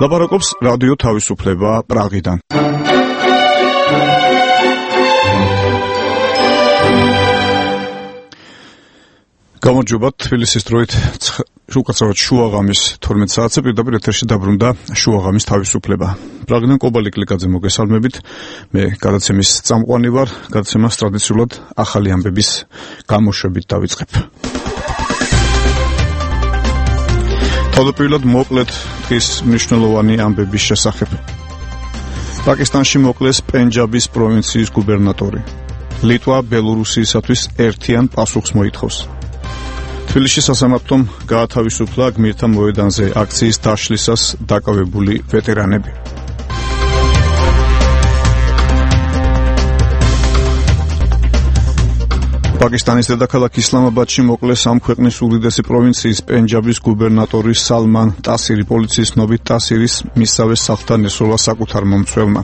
ლაპარაკობს რადიო თავისუფლება პრაღიდან. გამარჯობა, თბილისის დროით უკაცრავად შუაღამის 12 საათზე პირდაპირ ეთერში დაბრუნდა შუაღამის თავისუფლება. პრაღიდან კობალი კლიკაძე მოგესალმებით. მე გადაცემის წამყვანი ვარ. გადაცემას ტრადიციულად ახალი ამბების გამოშვებით დავიწყებ. თავდაპირველად მოკლედ დღის მნიშვნელოვანი ამბების შესახებ. პაკისტანში მოკლეს პენჯაბის პროვინციის გუბერნატორი. ლიტვა ბელორუსიისათვის ერთიან პასუხს მოითხოვს. თბილისში სასამართლომ გაათავისუფლა გმირთა მოედანზე აქციის დაშლისას დაკავებული ვეტერანები. პაკისტანის დედაქალაქ ისლამაბადში მოკლეს ამ ქვეყნის უდიდესი პროვინციის პენჯაბის გუბერნატორი სალმან ტასირი. პოლიციის ცნობით ტასირის მისსავე სახლთან ესროლა საკუთარ მომცველმა.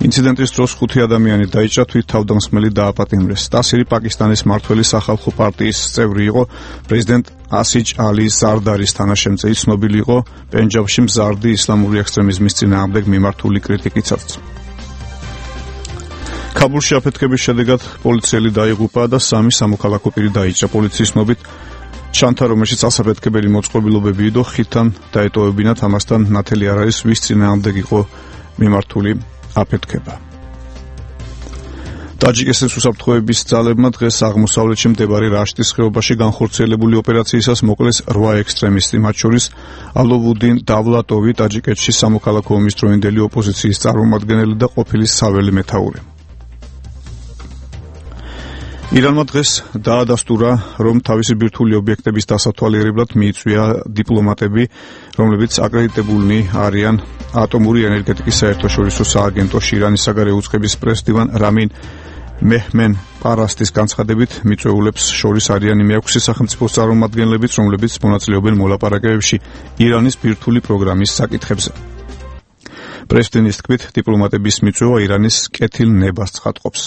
ინციდენტის დროს 5 ადამიანი დაიჭრა, თვით თავდამსხმელი დააპატიმრეს. ტასირი პაკისტანის მმართველი სახალხო პარტიის წევრი იყო. პრეზიდენტ ასიჯ ალი ზარდარის თანაშემწე. ცნობილი იყო პენჯაბში მზარდი ისლამური ექსტრემიზმის წინააღმდეგ მიმართული კრიტიკითაც. ქაბულში აფეთქების შედეგად პოლიციელი დაიღუპა და 3 სამოქალაქო პირი დაიჭრა. პოლიციის ცნობით ჩანთა, რომელშიც ასაფეთქებელი მოწყობილობები იყო, ხიდთან დაეტოვებინათ, ამასთან ნათელი არ არის, ვის წინააღმდეგ იყო მიმართული აფეთქება. ტაჯიკეთის უსაფრთხოების ძალებმა დღეს აღმოსავლეთში მდებარე რაშტის ხეობაში განხორციელებული ოპერაციისას მოკლეს 8 ექსტრემისტი, მათ შორის ალოვუდინ დავლატოვი, ტაჯიკეთში სამოქალაქო ომის დროინდელი ოპოზიციის წარმომადგენელი და ყოფილი საველე მეთაური. ირანმა დღეს დაადასტურა, რომ თავისი ბირთვული ობიექტების დასათვალიერებლად მიიწვია დიპლომატები, რომლებიც აკრედიტებულნი არიან ატომური ენერგეტიკის საერთაშორისო სააგენტოში. ირანის საგარეო უწყების პრეს-დივან რამინ მეჰმენ პარასტის განცხადებით, მიწვეულებს შორის არიან იმ 6 სახელმწიფოს წარმომადგენლებიც, რომლებიც მონაწილეობენ მოლაპარაკებებში ირანის ბირთვული პროგრამის საკითხებზე. პრეს-დივნის თქმით, დიპლომატების მიწვევა ირანის კეთილ ნებას ცხადყოფს.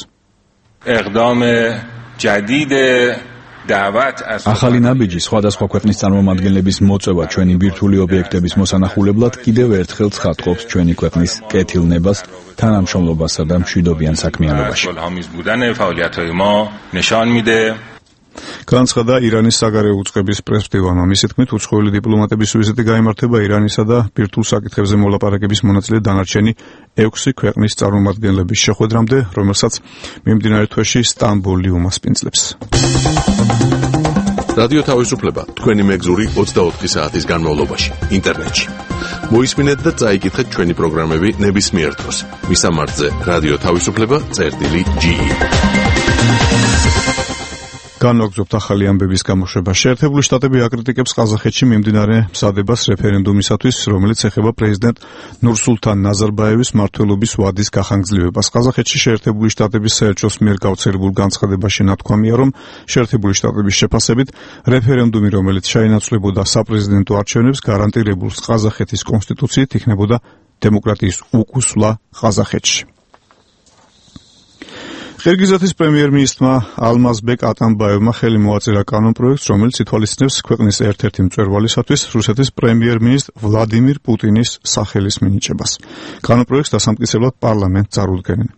ახალი ნაბიჯი სხვადასხვა ქვეყნის წარმომადგენლების მოწვევა ჩვენი ბირთვული ობიექტების მოსანახულებლად კიდევ ერთხელ ცხადყოფს ჩვენი ქვეყნის კეთილ ნებას, თანამშრომლობასა და მშვიდობიან საქმიანობაში. განცხადა ირანის საგარეო უწყების პრეს-დივანმა. მისი თქმით, უცხოელი დიპლომატების ვიზიტი გაიმართება ირანისა და ბირთვულ საკითხებზე მოლაპარაკების მონაწილე დანარჩენი 6 ქვეყნის წარმომადგენლების შეხვედრამდე, რომელსაც მიმდინარე თვეში სტამბოლი უმასპინძლებს. რადიო თავისუფლება თქვენი მეგზური 24 საათის განმავლობაში ინტერნეტში. მოისმინეთ და წაიკითხეთ ჩვენი პროგრამები ნებისმიერ დროს. მისამართზე რადიო თავისუფლება.ge. განვაგრძობთ ახალი ამბების გამოშვება. შეერთებული შტატები აკრიტიკებს ყაზახეთში მიმდინარე მზადებას რეფერენდუმისათვის, რომელიც ეხება პრეზიდენტ ნურსულთან ნაზარბაევის მმართველობის ვადის გახანგრძლივებას. ყაზახეთში შეერთებული შტატების საელჩოს მიერ გავრცელებულ განცხადებაში ნათქვამია, რომ შეერთებული შტატების შეფასებით რეფერენდუმი, რომელიც შეინაცვლებოდა საპრეზიდენტო არჩევნებს, გარანტირებულს ყაზახეთის კონსტიტუციით იქნებოდა დემოკრატიის უკუსვლა ყაზახეთში. ყირგიზეთის პრემიერ-მინისტრმა ალმაზბეკ ატამბაევმა ხელი მოაწერა კანონპროექტს, რომელიც ითვალისწინებს ქვეყნის ერთ-ერთი მწვერვალისათვის რუსეთის პრემიერ-მინისტრ ვლადიმირ პუტინის სახელის მინიჭებას. კანონპროექტს დასამტკიცებლად პარლამენტს წარუდგენენ.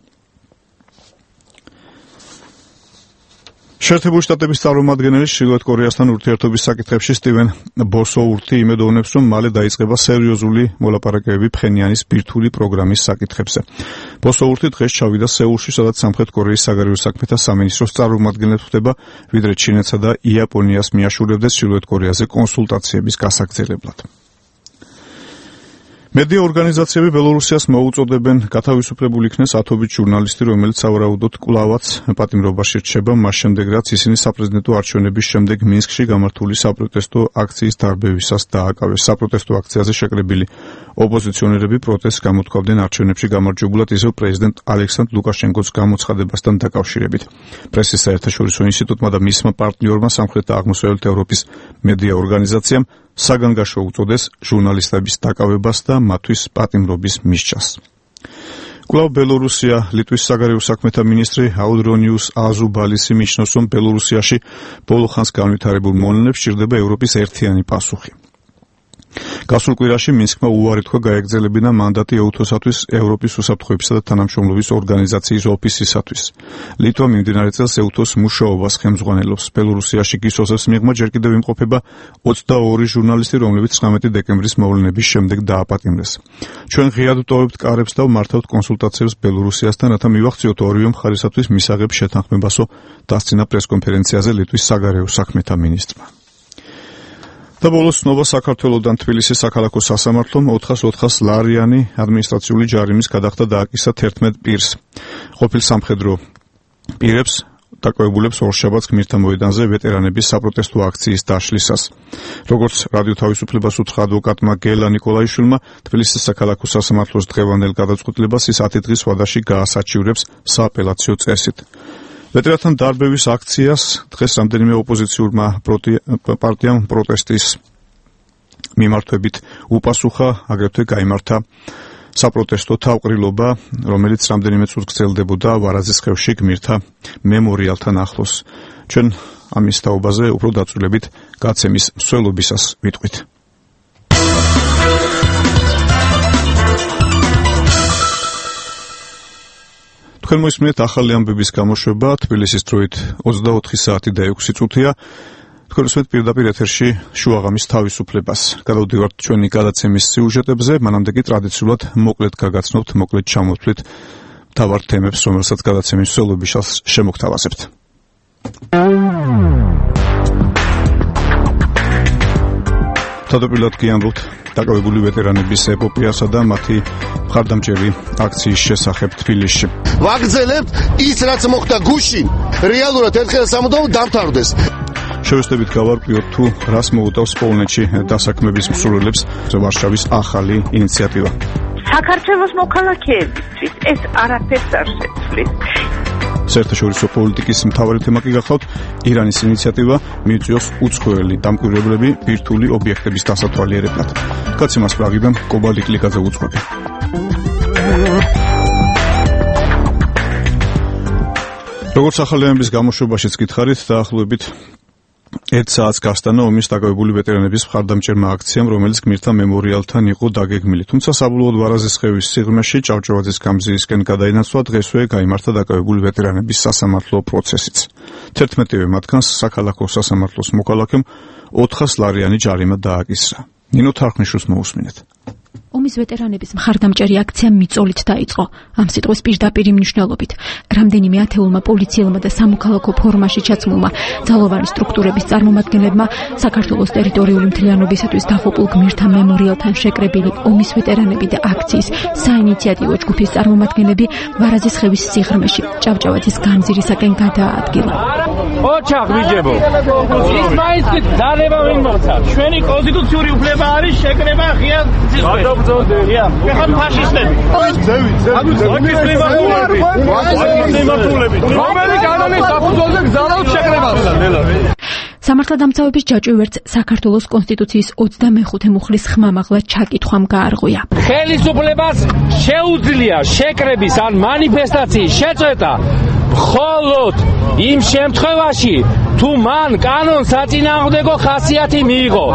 შეერთებული შტატების წარმომადგენელი ჩრდილოეთ კორეასთან ურთიერთობის საკითხებში სტივენ ბოსოურთი იმედოვნებს, რომ მალე დაიწყება სერიოზული მოლაპარაკებები ფხენიანის ბირთვული პროგრამის საკითხებზე. ბოსოურთი დღეს ჩავიდა სეულში, სადაც სამხრეთ კორეის საგარეო საქმეთა სამინისტროს წარმომადგენლებს ხვდება, ვიდრე ჩინეთსა და იაპონიას მიაშურებდეს ჩრდილოეთ კორეაზე კონსულტაციების გასაგრძელებლად. მედია ორგანიზაციები ბელორუსიას მოუწოდებენ გათავისუფლებულ იქნეს ათობით ჟურნალისტი, რომელიც სავარაუდოდ კვლავაც პატიმრობაში რჩება, მას შემდეგ რაც ისინი საპრეზიდენტო არჩევნების შემდეგ მინსკში გამართული საპროტესტო აქციის დარბევისას დააკავეს. საპროტესტო აქციაზე შეკრებილი ოპოზიციონერები პროტესტს გამოთქვამდნენ არჩევნებში გამარჯვებულად ისევ პრეზიდენტ ალექსანდრ ლუკაშენკოს გამოცხადებასთან დაკავშირებით. პრესის საერთაშორისო ინსტიტუტმა და მისმა პარტნიორმა სამხრეთ და აღმოსავლეთ ევროპის მედია ორგანიზაციამ საგანგაშო უწოდეს ჟურნალისტების დაკავებას და მათთვის პატიმრობის მისჯას. კვლავ ბელორუსია, ლიტვის საგარეო საქმეთა მინისტრი აუდრონიუს აზუბალისი მიიჩნევს, რომ ბელორუსიაში ბოლო ხანს განვითარებულ მონენებს სჭირდება ევროპის ერთიანი პასუხი. გასულ კვირაში მინსკმა უარი თქვა გაეგრძელებინა მანდატი EUTOS-თვის ევროპის უსაფრთხოებისა და თანამშრომლობის ორგანიზაციის ოფისისათვის. ლიტვა მიმდინარე წელს EUTOS მუშაობას ხელმძღვანელობს. ბელორუსიაში გისოსის მიღმა ჯერ კიდევ იმყოფება 22 ჟურნალისტი, რომლებიც 19 დეკემბრის მოვლენების შემდეგ დააპატიმრეს. ჩვენ ღიად ვტოვებთ კარებს და ვმართავთ კონსულტაციებს ბელორუსიასთან, რათა მივახციოთ ორივე მხარისათვის მისაღებ შეთანხმებასო, დასწინა პრესკონფერენციაზე ლიტვის საგარეო საქმეთა მინისტრმა. და ბოლოს ნოვა საქართველოდან თბილისის საქალაქო სასამართლომ 400 ლარიანი ადმინისტრაციული ჯარიმის გადახდა დააკისა 11 პირს. ყოფილ სამხედრო პირებს დაკავებულებს ორშაბათს გმირთა მოედანზე ვეტერანების საპროტესტო აქციის დაშლისას. როგორც რადიო თავისუფლებას უთხრა ადვოკატმა გელა ნიკოლაიშვილმა, თბილისის საქალაქო სასამართლოს დღევანდელ გადაწყვეტილებას ის 10 დღის ვადაში გაასაჩივრებს სააპელაციო წესით. ვეტერანთან დარბევის აქციას დღეს რამდენიმე ოპოზიციურმა პარტიამ პროტესტის მიმართვებით უპასუხა, აგრეთვე გაიმართა საპროტესტო თავყრილობა, რომელიც რამდენიმე წუთს გრძელდებოდა ვარაზის ხევში გმირთა მემორიალთან ახლოს. ჩვენ ამის თაობაზე უფრო დაწვრილებით გაცემის მსვლელობისას ვიტყვით. თქვენ მოისმენთ ახალი ამბების გამოშვება თბილისის დროით 24 საათი და 6 წუთია. თქვენ უსმენთ პირდაპირ ეთერში შუაღამის თავისუფლებას. გადავდივართ ჩვენი გადაცემის სიუჟეტებზე, მანამდე კი ტრადიციულად მოკლედ გაგაცნობთ, მოკლედ ჩამოვთვლით მთავარ თემებს, რომელსაც გადაცემის მსვლელობისას შემოგთავაზებთ. თავდაპირველად კი ამბობთ დაკავებული ვეტერანების ეპოპეასა და მათი მხარდამჭერი აქციის შესახებ თბილისში. ვაგრძელებთ ის, რაც მოხდა გუშინ, რეალურად ერთხელ სამუდამოდ დამთავრდეს. შევეცდებით გავარკვიოთ თუ რას მოუტავს პოლონეთში დასაქმების მსურველებს ვარშავის ახალი ინიციატივა. საქართველოს მოქალაქეებისთვის ეს არაფერს არ შეცვლის. საერთაშორისო პოლიტიკის მთავარი თემა კი გახლავთ ირანის ინიციატივა მიიწვიოს უცხოელი დამკვირვებლები ბირთვული ობიექტების დასათვალიერებლად. გაცემას პრაღიდან კობალტ კლიკაძე უძღვები. როგორც ახალი ამბების გამოშვებაშიც გითხარით, დაახლოებით 1 საათს გასტანა ომის დაკავებული ვეტერანების მხარდამჭერმა აქციამ, რომელიც გმირთა მემორიალთან იყო დაგეგმილი. თუმცა საბოლოოდ ვარაზის ხევის სიღრმეში ჭავჭავაძის გამზირისკენ გადაინაცვლა, დღესვე გაიმართა დაკავებული ვეტერანების სასამართლო პროცესიც. 11-ვე მათგანს საქალაქო სასამართლოს მოქალაქემ 400 ლარიანი ჯარიმა დააკისრა. ნინო თარხნიშვილს მოусმინეთ. ომის ვეტერანების მხარდამჭერი აქცია მიწოლით დაიწყო. ამ სიტყვის პირდაპირ მნიშვნელობით. რამდენიმე ათეულმა პოლიციელმა და სამოქალაქო ფორმაში ჩაცმულმა ძალოვანი სტრუქტურების წარმომადგენლებმა საქართველოს ტერიტორიული მთლიანობისათვის დაღუპულ გმირთა მემორიალთან შეკრებილი ომის ვეტერანები და აქციის საინიციატივო ჯგუფის წარმომადგენლები ვარაზის ხევის სიღრმეში ჭავჭავაძის გამზირისაკენ გადაადგილა. ოჩახ ვიჯებო. ის მაინც ძალება ვინ მოცა. ჩვენი კონსტიტუციური უფლება არის შეკრება ღია სიღრმეში. ეხლა ფაშისტები. რომელი კანონის საფუძველზე გზავნავთ შეკრებას? სამართალდამცავების ჯაჭვი საქართველოს კონსტიტუციის 25 მუხლის ხმამაღლა ჩაკითხვამ გაარღვია. ხელისუფლებას შეუძლია შეკრების ან მანიფესტაციის შეწყვეტა მხოლოდ იმ შემთხვევაში, თუ მან კანონსაწინააღმდეგო ხასიათი მიიღო.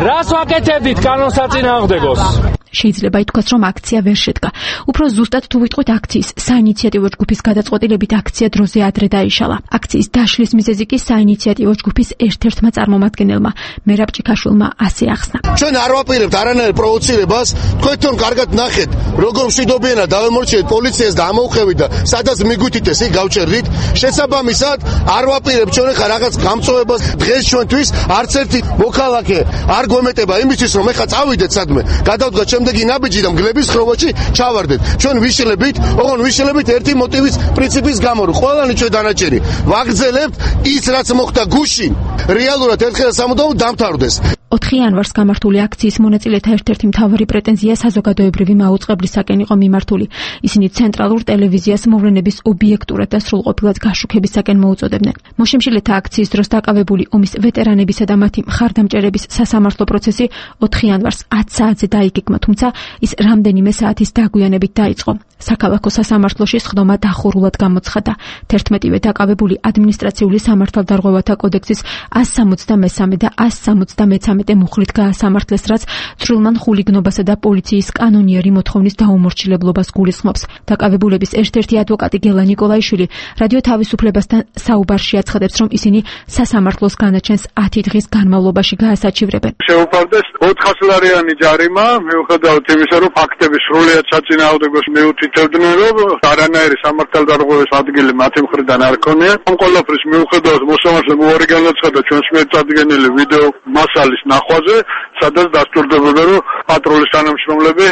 რას ვაკეთებდით კანონსაწინააღმდეგოს? შეიძლება ითქვას, რომ აქცია ვერ შედგა. უფრო ზუსტად თუ ვიტყვით აქციის საინიციატივო ჯგუფის გადაწყვეტილებით აქცია დროზე ადრე დაიშალა. აქციის დაშლის მიზეზი კი საინიციატივო ჯგუფის ერთ-ერთმა წარმომადგენელმა მერაბ ჭიქაშვილმა ასე ახსნა. ჩვენ არ ვაპირებთ არანაირ პროვოცირებას, თქვენ კარგად ნახეთ, როგორ მშვიდობიანად დავემორჩილეთ პოლიციას და ამოვხევით და სადაც მიგვითითეს იქ გავჭერდით. შესაბამისად არ ვაპირებთ ჩვენ ხა რაღაც გამწვევებას დღეს ჩვენთვის არც ერთი მოქალაქე არ გვემეტება იმისთვის, რომ ეხა წავიდეთ სადმე, გადავდგათ შემდეგი ნაბიჯი და მგლების ხროვაში ჩავარდეთ. ჩვენ ვიშლებით ერთი მოტივის პრინციპის გამო, რომ ყველანი ჩვენ დანაჭერი ვაგრძელებთ ის, რაც მოხდა გუშინ, რეალურად ერთხელ სამუდამოდ დამთავრდეს. 4 იანვარს გამართული აქციის მონაწილეთა ერთ-ერთი მთავარი პრეტენზია საზოგადოებრივი მაუწყებლისაკენ იყო მიმართული. ისინი ცენტრალურ ტელევიზიას მოვლენების ობიექტურად და სრულყოფილად გაშუქებისაკენ მოუწოდებდნენ. მოშემშილეთა აქციის დროს დაკავებული ომის ვეტერანებისა და მათი მხარდამჭერების სასამართლო პროცესი 4 იანვარს 10 საათზე დაიგეგმა, თუმცა ის რამდენიმე საათის დაგვიანებით დაიწყო. საქალაქო სასამართლოში სხდომა დახურულად გამოცხადა. 11-ვე დაკავებული ადმინისტრაციული სამართალდარღვევათა კოდექსის 163 და 173 დეპარტამენტი მუხლით გაასამართლეს, რაც ცრილმან ხულიგნობასა და პოლიციის კანონიერი მოთხოვნის დაუმორჩილებლობას გულისხმობს. დაკავებულების ერთ-ერთი ადვოკატი გელა ნიკოლაიშვილი რადიო თავისუფლებასთან საუბარში აცხადებს, რომ ისინი სასამართლოს განაჩენს 10 დღის განმავლობაში გაასაჩივრებენ. შეუფარდეს 400 ლარიანი ჯარიმა, მიუხედავად იმისა, რომ ფაქტები სრულიად საწინააღმდეგოს მიუთითებდნენ, რომ არანაირი სამართალდარღვევის ადგილი მათი მხრიდან არ ქონია. ამ ყველაფრის მიუხედავად მოსამართლემ უარი განაცხადა ჩვენს მიერ წარდგენილი ვიდეო მასალის ნახვაზე, სადაც დასტურდებოდა, რომ პატრულის თანამშრომლები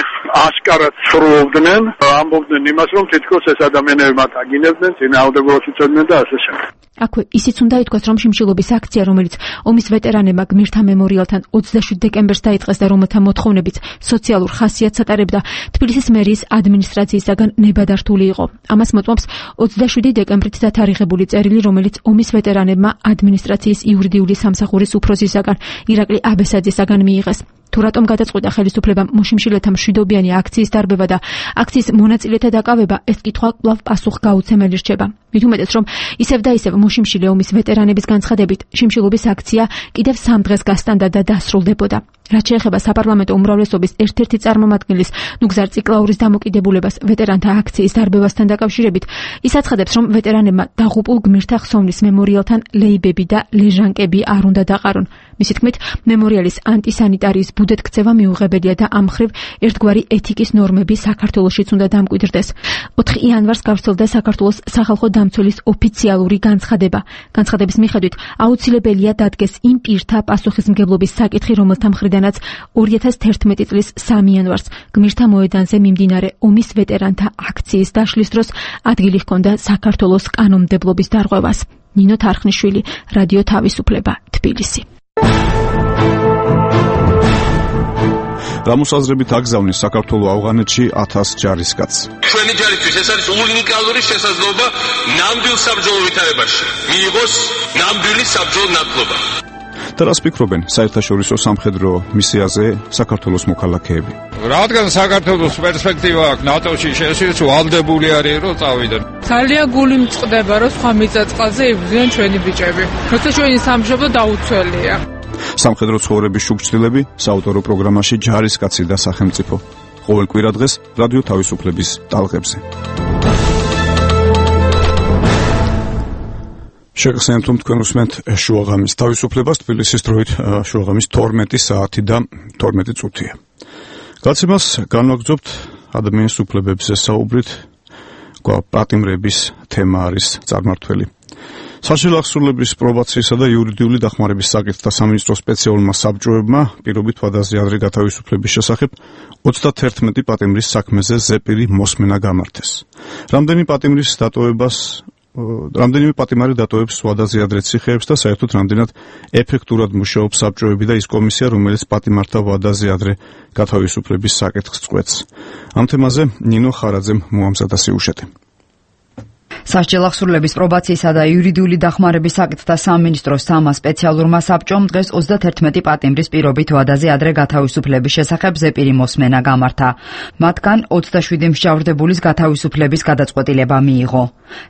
აშკარად სრულობდნენ, ამბობდნენ იმას, რომ თითქოს ეს ადამიანები მათ აგინებდნენ, წინააღმდეგობას უწევდნენ და ასე შემდეგ. აქვე ისიც უნდა ითქვას, რომ შიმშილობის აქცია, რომელიც ომის ვეტერანებმა გმირთა მემორიალთან 27 დეკემბერს დაიწყეს და რომელთა მოთხოვნებიც სოციალურ ხასიათს ატარებდა, თბილისის მერიის ადმინისტრაციისაგან ნებადართული იყო. ამას მოწმობს 27 დეკემბრით დათარიღებული წერილი, რომელიც ომის ვეტერანებმა ადმინისტრაციის იურიდიული სამსახურის უფროსისაგან ირაკლი აბესაძისაგან მიიღეს. თუ რატომ გადაწყვიტა ხელისუფლებამ მოშიმშილეთა მშვიდობიანი აქციის დარბევა და აქციის მონაწილეთა დაკავება, ეს კითხვა კვლავ პასუხგაუცემელი რჩება. მით უმეტეს, რომ ისევ და ისევ მოშიმშილე ომის ვეტერანების განცხადებით, შიმშილობის აქცია კიდევ 3 დღეს გასტანდა და დასრულდებოდა. რაც შეეხება საპარლამენტო უმრავლესობის ერთ-ერთი წარმომადგენლის ნუგზარ ციკლაურის დამოკიდებულებას ვეტერანთა აქციის დარბევასთან დაკავშირებით, ის აცხადებს, რომ ვეტერანებმა დაღუპულ გმირთა ხსოვნის მემორიალთან ლეიბები და ლეჟანკები არ უნდა დაყარონ. მისი თქმით, მემორიალის ანტისანიტარიის ბუდეთ ქცევა მიუღებელია და ამ მხრივ ერთგვარი ეთიკის ნორმები საქართველოშიც უნდა დამკვიდრდეს. 4 იანვარს გავრცელდა საქართველოს სახალხო დამცველის ოფიციალური განცხადება. განცხადების მიხედვით, აუცილებელია დადგეს იმ პირთა პასუხისმგებლობის საკითხი, რომელთა მხრიდანაც 2011 წლის 3 იანვარს გმირთა მოედანზე მიმდინარე ომის ვეტერანთა აქციის დაშლის დროს ადგილი ჰქონდა საქართველოს კანონმდებლობის დარღვევას. ნინო თარხნიშვილი, რადიო თავისუფლება, თბილისი. გამოსაზრებით აგზავნის საქართველოს ავღანეთში 1000 ჯარისკაცს. ჩვენი ჯარისთვის ეს არის უნიკალური შესაძლებლობა ნამდვილ საბრძოლო ვითარებაში მიიღოს ნამდვილი საბრძოლო ნათლობა. და რას ფიქრობენ საერთაშორისო სამხედრო მისიაზე საქართველოს მოქალაქეები? რადგან საქართველოს პერსპექტივა აქვს ნატოში შესვლის, ვალდებული არის რომ წავიდნენ. ძალიან გული მწყდება რომ სხვა მიწა-წყალზე იბრძვიან ჩვენი ბიჭები. როცა ჩვენი სამშობლო დაუცველია. სამხედრო ცხოვრების შუქჩილები საავტორო პროგრამაში ჯარისკაცი და სახელმწიფო. ყოველ კვირა დღეს რადიო თავისუფლების ტალღებზე. შეგახსენებთ, რომ თქვენ უსმენთ შუაღამის თავისუფლებას, თბილისის დროით შუაღამის 12 საათი და 12 წუთია. გაცემას განვაგრძობთ ადამიანის უფლებებზე საუბრით, პატიმრების თემა არის წარმართველი. საშინაო აღსრულების პრობაციისა და იურიდიული დახმარების საკითხთა სამინისტრო სპეციალურმა საბჭოებმა პირობით ვადაზე ადრე გათავისუფლების შესახებ 31 პატიმრის საქმეზე ზეპირი მოსმენა გამართეს. რამდენიმე პატიმარი დატოვებს ვადაზე ადრე ციხეებს და საერთოდ რამდენად ეფექტურად მუშაობს საბჭოები და ის კომისია, რომელიც პატიმართა ვადაზე ადრე გათავისუფლების საკითხს წყვეტს. ამ თემაზე ნინო ხარაძემ მოამზადა სიუჟეტი. სასჯელ აღსრულების პრობაციისა და იურიდიული დახმარების საკითხთა სამინისტროს სამა სპეციალურმა საბჭომ დღეს 31 პატიმრის პირობით ვადაზე ადრე გათავისუფლების შესახებ ზეპირი მოსმენა გამართა. მათგან 27 მსჯავრდებულის გათავისუფლების გადაწყვეტილება მიიღო.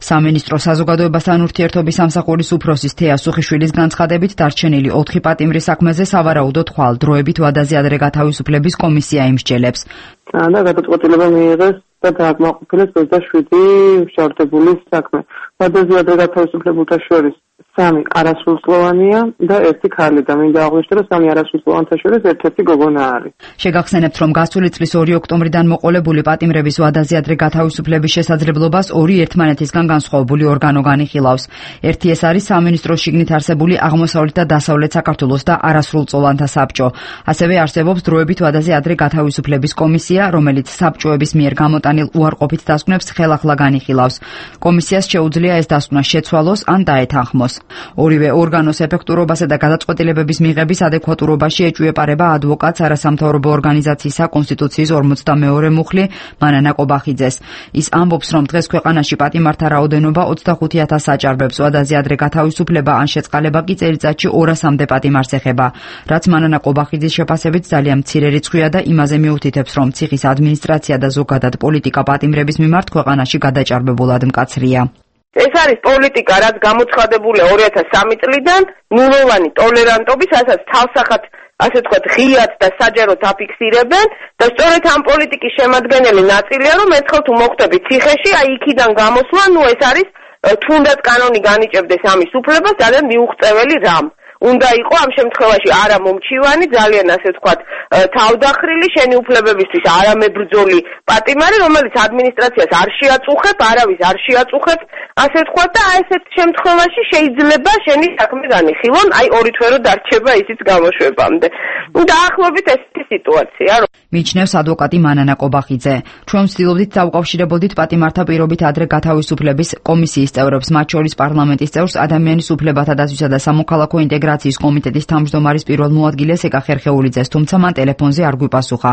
სამინისტრო საზოგადოებასთან ურთიერთობის სამსახურის უფროსის თეა სუხიშვილის განცხადებით დარჩენილი 4 პატიმრის საქმეზე სავარაუდოდ ხვალ დროებით ვადაზე ადრე გათავისუფლების კომისია იმსჯელებს. და გადაწყვეტილება მიიღეს და დააკმაყოფილეს 27 მსჯავრდებულის საქმე. ვადაზე ადრე გათავისუფლებულთა შორის 3 არასრულწლოვანია და 1 ქალი და მინდა აღვნიშნო, რომ 3 არასრულწლოვანთა შორის ერთ-ერთი გოგონა არის. შეგახსენებთ, რომ გასული წლის 2 ოქტომბრიდან მოყოლებული პატიმრების ვადაზე ადრე გათავისუფლების შესაძლებლობას 2 ერთმანეთისგან განსხვავებული ორგანო განიხილავს. ერთი ეს არის სამინისტროს შიგნით არსებული აღმოსავლეთ და დასავლეთ საქართველოს და არასრულწლოვანთა საბჭო. ასევე არსებობს დროებით ვადაზე ადრე გათავისუფლების კომისია, რომელიც საბჭოების მიერ გამოტანილ უარყოფით დასკვნებს ხელახლა განიხილავს. კომისიას შეუძლია ეს დასკვნა შეცვალოს ან დაეთანხმოს. ორივე ორგანოს ეფექტურობასა და გადაწყვეტილებების მიღების ადეკვატურობაში ეჭვიეპარება ადვოკატს არასამთავრობო ორგანიზაციისა კონსტიტუციის 42 მუხლი მანანა კობახიძეს. ის ამბობს, რომ დღეს ქვეყანაში პატიმართა რაოდენობა 25,000 აჭარბებს, ვადაზე ადრე გათავისუფლება ან შეწყალება კი წელიწადში 200-მდე პატიმარს ეხება, რაც მანანა კობახიძის შეფასებით ძალიან მცირე რიცხვია და იმაზე მიუთითებს, რომ ციხის ადმინისტრაცია და ზოგადად პოლიტიკა პატიმრების მიმართ ქვეყანაში გადაჭარბებულად მკაცრია. ეს არის პოლიტიკა, რაც გამოცხადებულია 2003 წლიდან, ნულოვანი ტოლერანტობის, რასაც თავსახად ასე თქვათ, ღიად და საჯაროდ აფიქსირებენ და სწორედ ამ პოლიტიკის შემადგენელი ნაწილია, რომ ერთხელ თუ მოხვდებით ციხეში, აი იქიდან გამოსვლა, ეს არის თუნდაც კანონი განიჭებდეს ამის უფლებას, ძალიან მიუღწეველი რამ. უნდა იყო ამ შემთხვევაში არა მომჩივანი, ძალიან ასე ვთქვათ, თავდახრილი შენი უფლებებისთვის არამებრძოლი პატიმარი, რომელიც ადმინისტრაციას არ შეაწუხებ, არავის არ შეაწუხებ, ასე ვთქვათ და ესეთ შემთხვევაში შეიძლება შენი საქმე განიხილონ, აი ორი თვერო დარჩება ისიც გამოშვებამდე. დაახლოებით ესეთი სიტუაცია. მიიჩნევს ადვოკატი მანანა კობახიძე. ჩვენ ვცდილობდით დავუკავშირებოდით პატიმართა პირობით ადრე გათავისუფლების კომისიის წევრებს, მათ შორის პარლამენტის წევრს, ადამიანის უფლებათა დაცვისა და სამოქალაქო ინტეგრაციის კომიტეტის თავმჯდომარის პირველ მოადგილეს ეკა ხერხეულიძეს, თუმცა მან ტელეფონზე არ გვიპასუხა.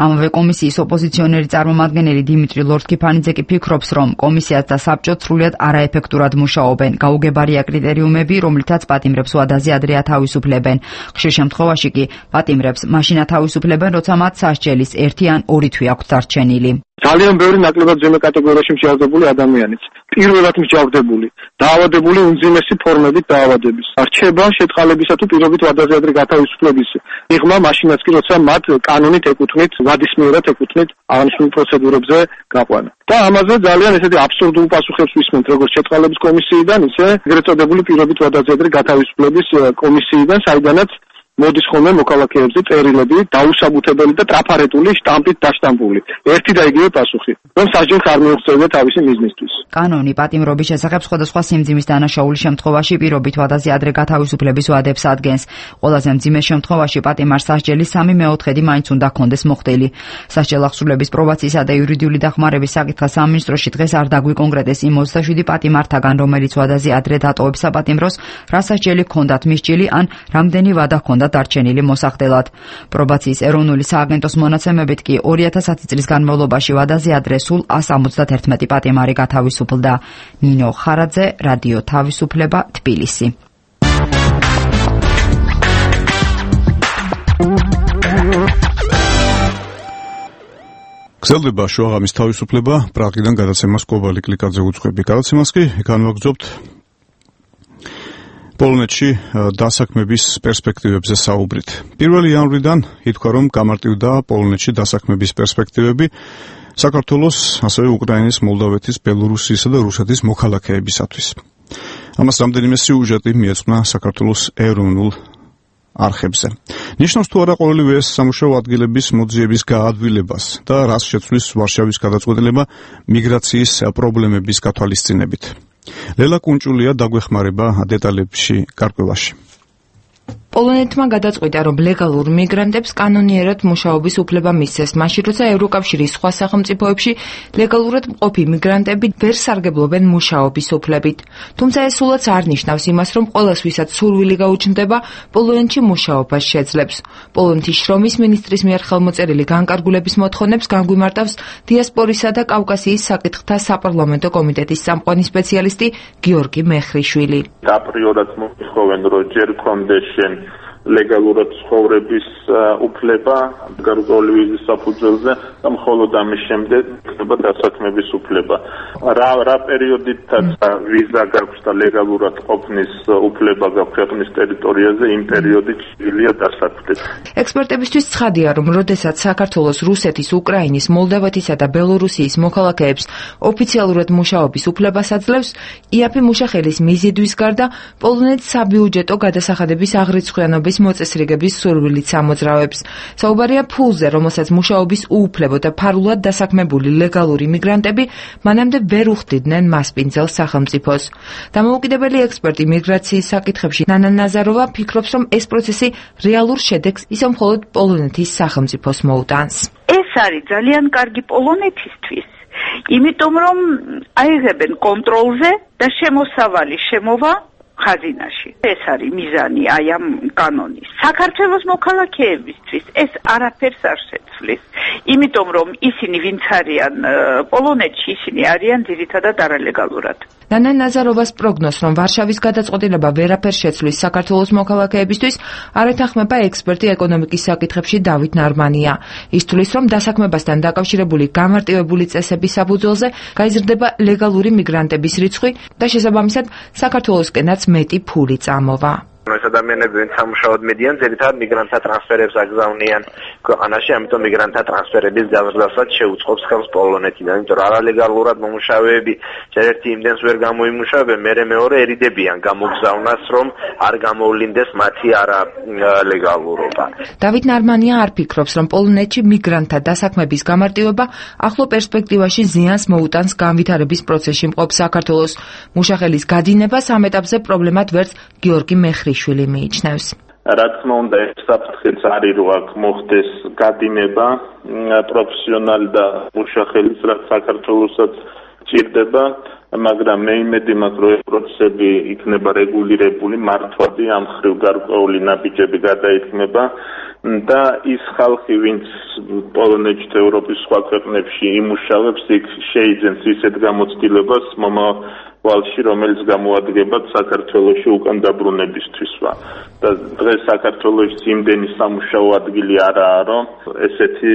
ამავე კომისიის ოპოზიციონერი წარმომადგენელი დიმიტრი ლორთქიფანიძე კი ფიქრობს, რომ კომისიაც და საბჭოც სრულიად არაეფექტურად მუშაობენ. გაუგებარია კრიტერიუმები, რომლითაც პატიმრებს ვადაზე ადრე ათავისუფლებენ. ხშირ შემთხვევაში კი პატიმრებს მაშინ ათავისუფლებენ, როცა მათ სასჯელის 1 ან 2 თვე აქვთ დარჩენილი. ძალიან ბევრი ნაკლებად ზემო კატეგორიაში მსჯავრდებული ადამიანიც, პირველად მსჯავრდებული, დაავადებული უმძიმესი ფორმებით დაავადების. რჩება შეწყალებისა თუ პირობით ვადაზე ადრე გათავისუფლების მიღმა მაშინაც კი, როცა მათ კანონით ეკუთვნით, ვადის მიერად ეკუთვნით აღნიშნულ პროცედურებზე გაყვანა. და ამაზე ძალიან ესეთი აბსურდულ პასუხებს ვისმენთ როგორც შეწყალების კომისიიდან, ისე ეგრეთ წოდებული პირობით ვადაზე ადრე გათავისუფლების კომისიიდან, საიდანაც მოდის ხოლმე მოქალაქეებზე წერილები, დაუსაბუთებელი და ტრაფარეტული შტამპით დაშტამპული. ერთი და იგივე პასუხი, რომ სასჯელს არ მიუღწევია თავისი მიზნისთვის. კანონი პატიმრობის შესახებ სხვადასხვა სიმძიმის დანაშაულის შემთხვევაში პირობით ვადაზე ადრე გათავისუფლების ვადებს ადგენს. ყველაზე მძიმე შემთხვევაში პატიმარს სასჯელის 3/4 მაინც უნდა ჰქონდეს მოხდილი. სასჯელ აღსრულების პრობაციისა და იურიდიული დახმარების საკითხა სამინისტროში დღეს არ დაგვიკონკრეტეს იმ 27 პატიმართაგან, რომელიც ვადაზე ადრე დატოვებს საპატიმროს, რა სასჯელი ჰქონდათ მისჭილი ან რამდენი ვადა ჰქონდათ დარჩენილი მოსახდელად. პრობაციის ეროვნული სააგენტოს მონაცემებით კი 2010 წლის განმავლობაში ვადაზე ადრე სულ 171 პატიმარი გათავისუფლდა. ნინო ხარაძე, რადიო თავისუფლება, თბილისი. გრძელდება შუაღამის თავისუფლება, პრაღიდან გადაცემას კობალი კლიკაძე უძღვები. გადაცემას კი განვაგრძობთ პოლონეთში დასაქმების პერსპექტივებზე საუბრით. 1 იანვრიდან ითქვა, რომ გამარტივდა პოლონეთში დასაქმების პერსპექტივები საქართველოს, ასევე უკრაინის, მოლდავეთის, ბელორუსიისა და რუსეთის მოქალაქეებისათვის. ამას რამდენიმე სიუჟეტი მიეძღვნა საქართველოს ეროვნულ არხებზე. ნიშნავს თუ არა ყოველივე ეს სამუშაო ადგილების მოძიების გაადვილებას და რას შეცვლის ვარშავის გადაწყვეტილება მიგრაციის პრობლემების გათვალისწინებით. ლელა კუნჭულია დაგვეხმარება დეტალებში გარკვევაში. პოლონეთმა გადაწყვიტა, რომ ლეგალურ მიგრანტებს კანონიერად მუშაობის უფლება მისცეს, მაშინ როცა ევროკავშირის სხვა სახელმწიფოებში ლეგალურად მყოფი მიგრანტები ვერ სარგებლობენ მუშაობის უფლებით. თუმცა ეს სულაც არ ნიშნავს იმას, რომ ყველას, ვისაც სურვილი გაუჩნდება, პოლონეთში მუშაობას შეძლებს. პოლონეთის შრომის მინისტრის მიერ ხელმოწერილი განკარგულების მოთხოვნებს განგვიმარტავს დიასპორისა და კავკასიის საკითხთა საპარლამენტო კომიტეტის წამყვანი სპეციალისტი გიორგი მეხრიშვილი. აპრიორად მოითხოვენ, რომ ჯერ კონდეს ლეგალურად ცხოვრების უფლება გარკვეული ვიზის საფუძველზე და მხოლოდ ამის შემდეგ ხდება დასაქმების უფლება. რა პერიოდითაც ვიზა გაქვს და ლეგალურად ყოფნის უფლება გაქვს ქვეყნის ტერიტორიაზე, იმ პერიოდით შეგვიძლია დასაქმდეს. ექსპერტებისთვის ცხადია, რომ როდესაც საქართველოს, რუსეთის, უკრაინის, მოლდავეთისა და ბელორუსიის მოქალაქეებს ოფიციალურად მუშაობის უფლებას აძლევს, იაფი მუშახელის მიზიდვის გარდა პოლონეთს საბიუჯეტო გადასახადების აღრიცხვიანობის მოწესრიგების სურვილით ამოძრავებს. საუბარია ფულზე, რომელსაც მუშაობის უუფლებო და ფარულად დასაქმებული ლეგალური მიგრანტები მანამდე ვერ უხდიდნენ მასპინძელ სახელმწიფოს. დამოუკიდებელი ექსპერტი მიგრაციის საკითხებში ნანა ნაზაროვა ფიქრობს, რომ ეს პროცესი რეალურ შედეგს ისევ მხოლოდ პოლონეთის სახელმწიფოს მოუტანს. ეს არის ძალიან კარგი პოლონეთისთვის, იმიტომ რომ აიღებენ კონტროლზე და შემოსავალი შემოვა ხაზინაში. ეს არის მიზანი აი ამ კანონის. საქართველოს მოქალაქეებისთვის ეს არაფერს არ შეცვლის, იმიტომ რომ ისინი ვინც არიან პოლონეთში, ისინი არიან ძირითადად არალეგალურად. ნანა ნაზაროვას პროგნოზს, რომ ვარშავის გადაწყვეტილება ვერაფერს შეცვლის საქართველოს მოქალაქეებისთვის, არ ეთანხმება ექსპერტი ეკონომიკის საკითხებში დავით ნარმანია. ის თვლის, რომ დასაქმებასთან დაკავშირებული გამარტივებული წესების საფუძველზე გაიზრდება ლეგალური მიგრანტების რიცხვი და შესაბამისად საქართველოსკენაც მეტი ფული წამოვა. ეს ადამიანები ვინც სამუშაოდ მიდიან, ძირითადად მიგრანტთა ტრანსფერებს აგზავნიან ქვეყანაში, ამიტომ მიგრანტთა ტრანსფერების გაზრდასაც შეუწყობს ხელს პოლონეთიდან, იმიტომ რომ არალეგალურად მომუშავეები ერთ იმდენს ვერ გამოიმუშავებენ, მერე მეორე ერიდებიან გამოგზავნას, რომ არ გამოვლინდეს მათი არალეგალურობა. დავით ნარმანია არ ფიქრობს, რომ პოლონეთში მიგრანტთა დასაქმების გამარტივება ახლო პერსპექტივაში ზიანს მოუტანს განვითარების პროცესში მყოფ საქართველოს. მუშახელის გადინებას ამ ეტაპზე პრობლემად ვერც გიორგი მეხრიშვილი მიიჩნევს. რა თქმა უნდა, ეს საფრთხეც არის, რომ აქ მოხდეს გადინება პროფესიონალი და მუშახელის, რაც საქართველოსაც ჭირდება, მაგრამ მე იმედი მაქვს, რომ ეს პროცესები იქნება რეგულირებული, მართვადი, ამ ხრივ გარკვეული ნაბიჯები გადაიქმნება და ის ხალხი, ვინც პოლონეთში და ევროპის სხვა ქვეყნებში იმუშავებს, იქ შეიძენს ისეთ გამოცდილებას მომავალში, რომელიც გამოადგებათ საქართველოში უკან დაბრუნებისთვისვა. და დღეს საქართველოში იმდენი სამუშაო ადგილი არაა, რომ ესეთი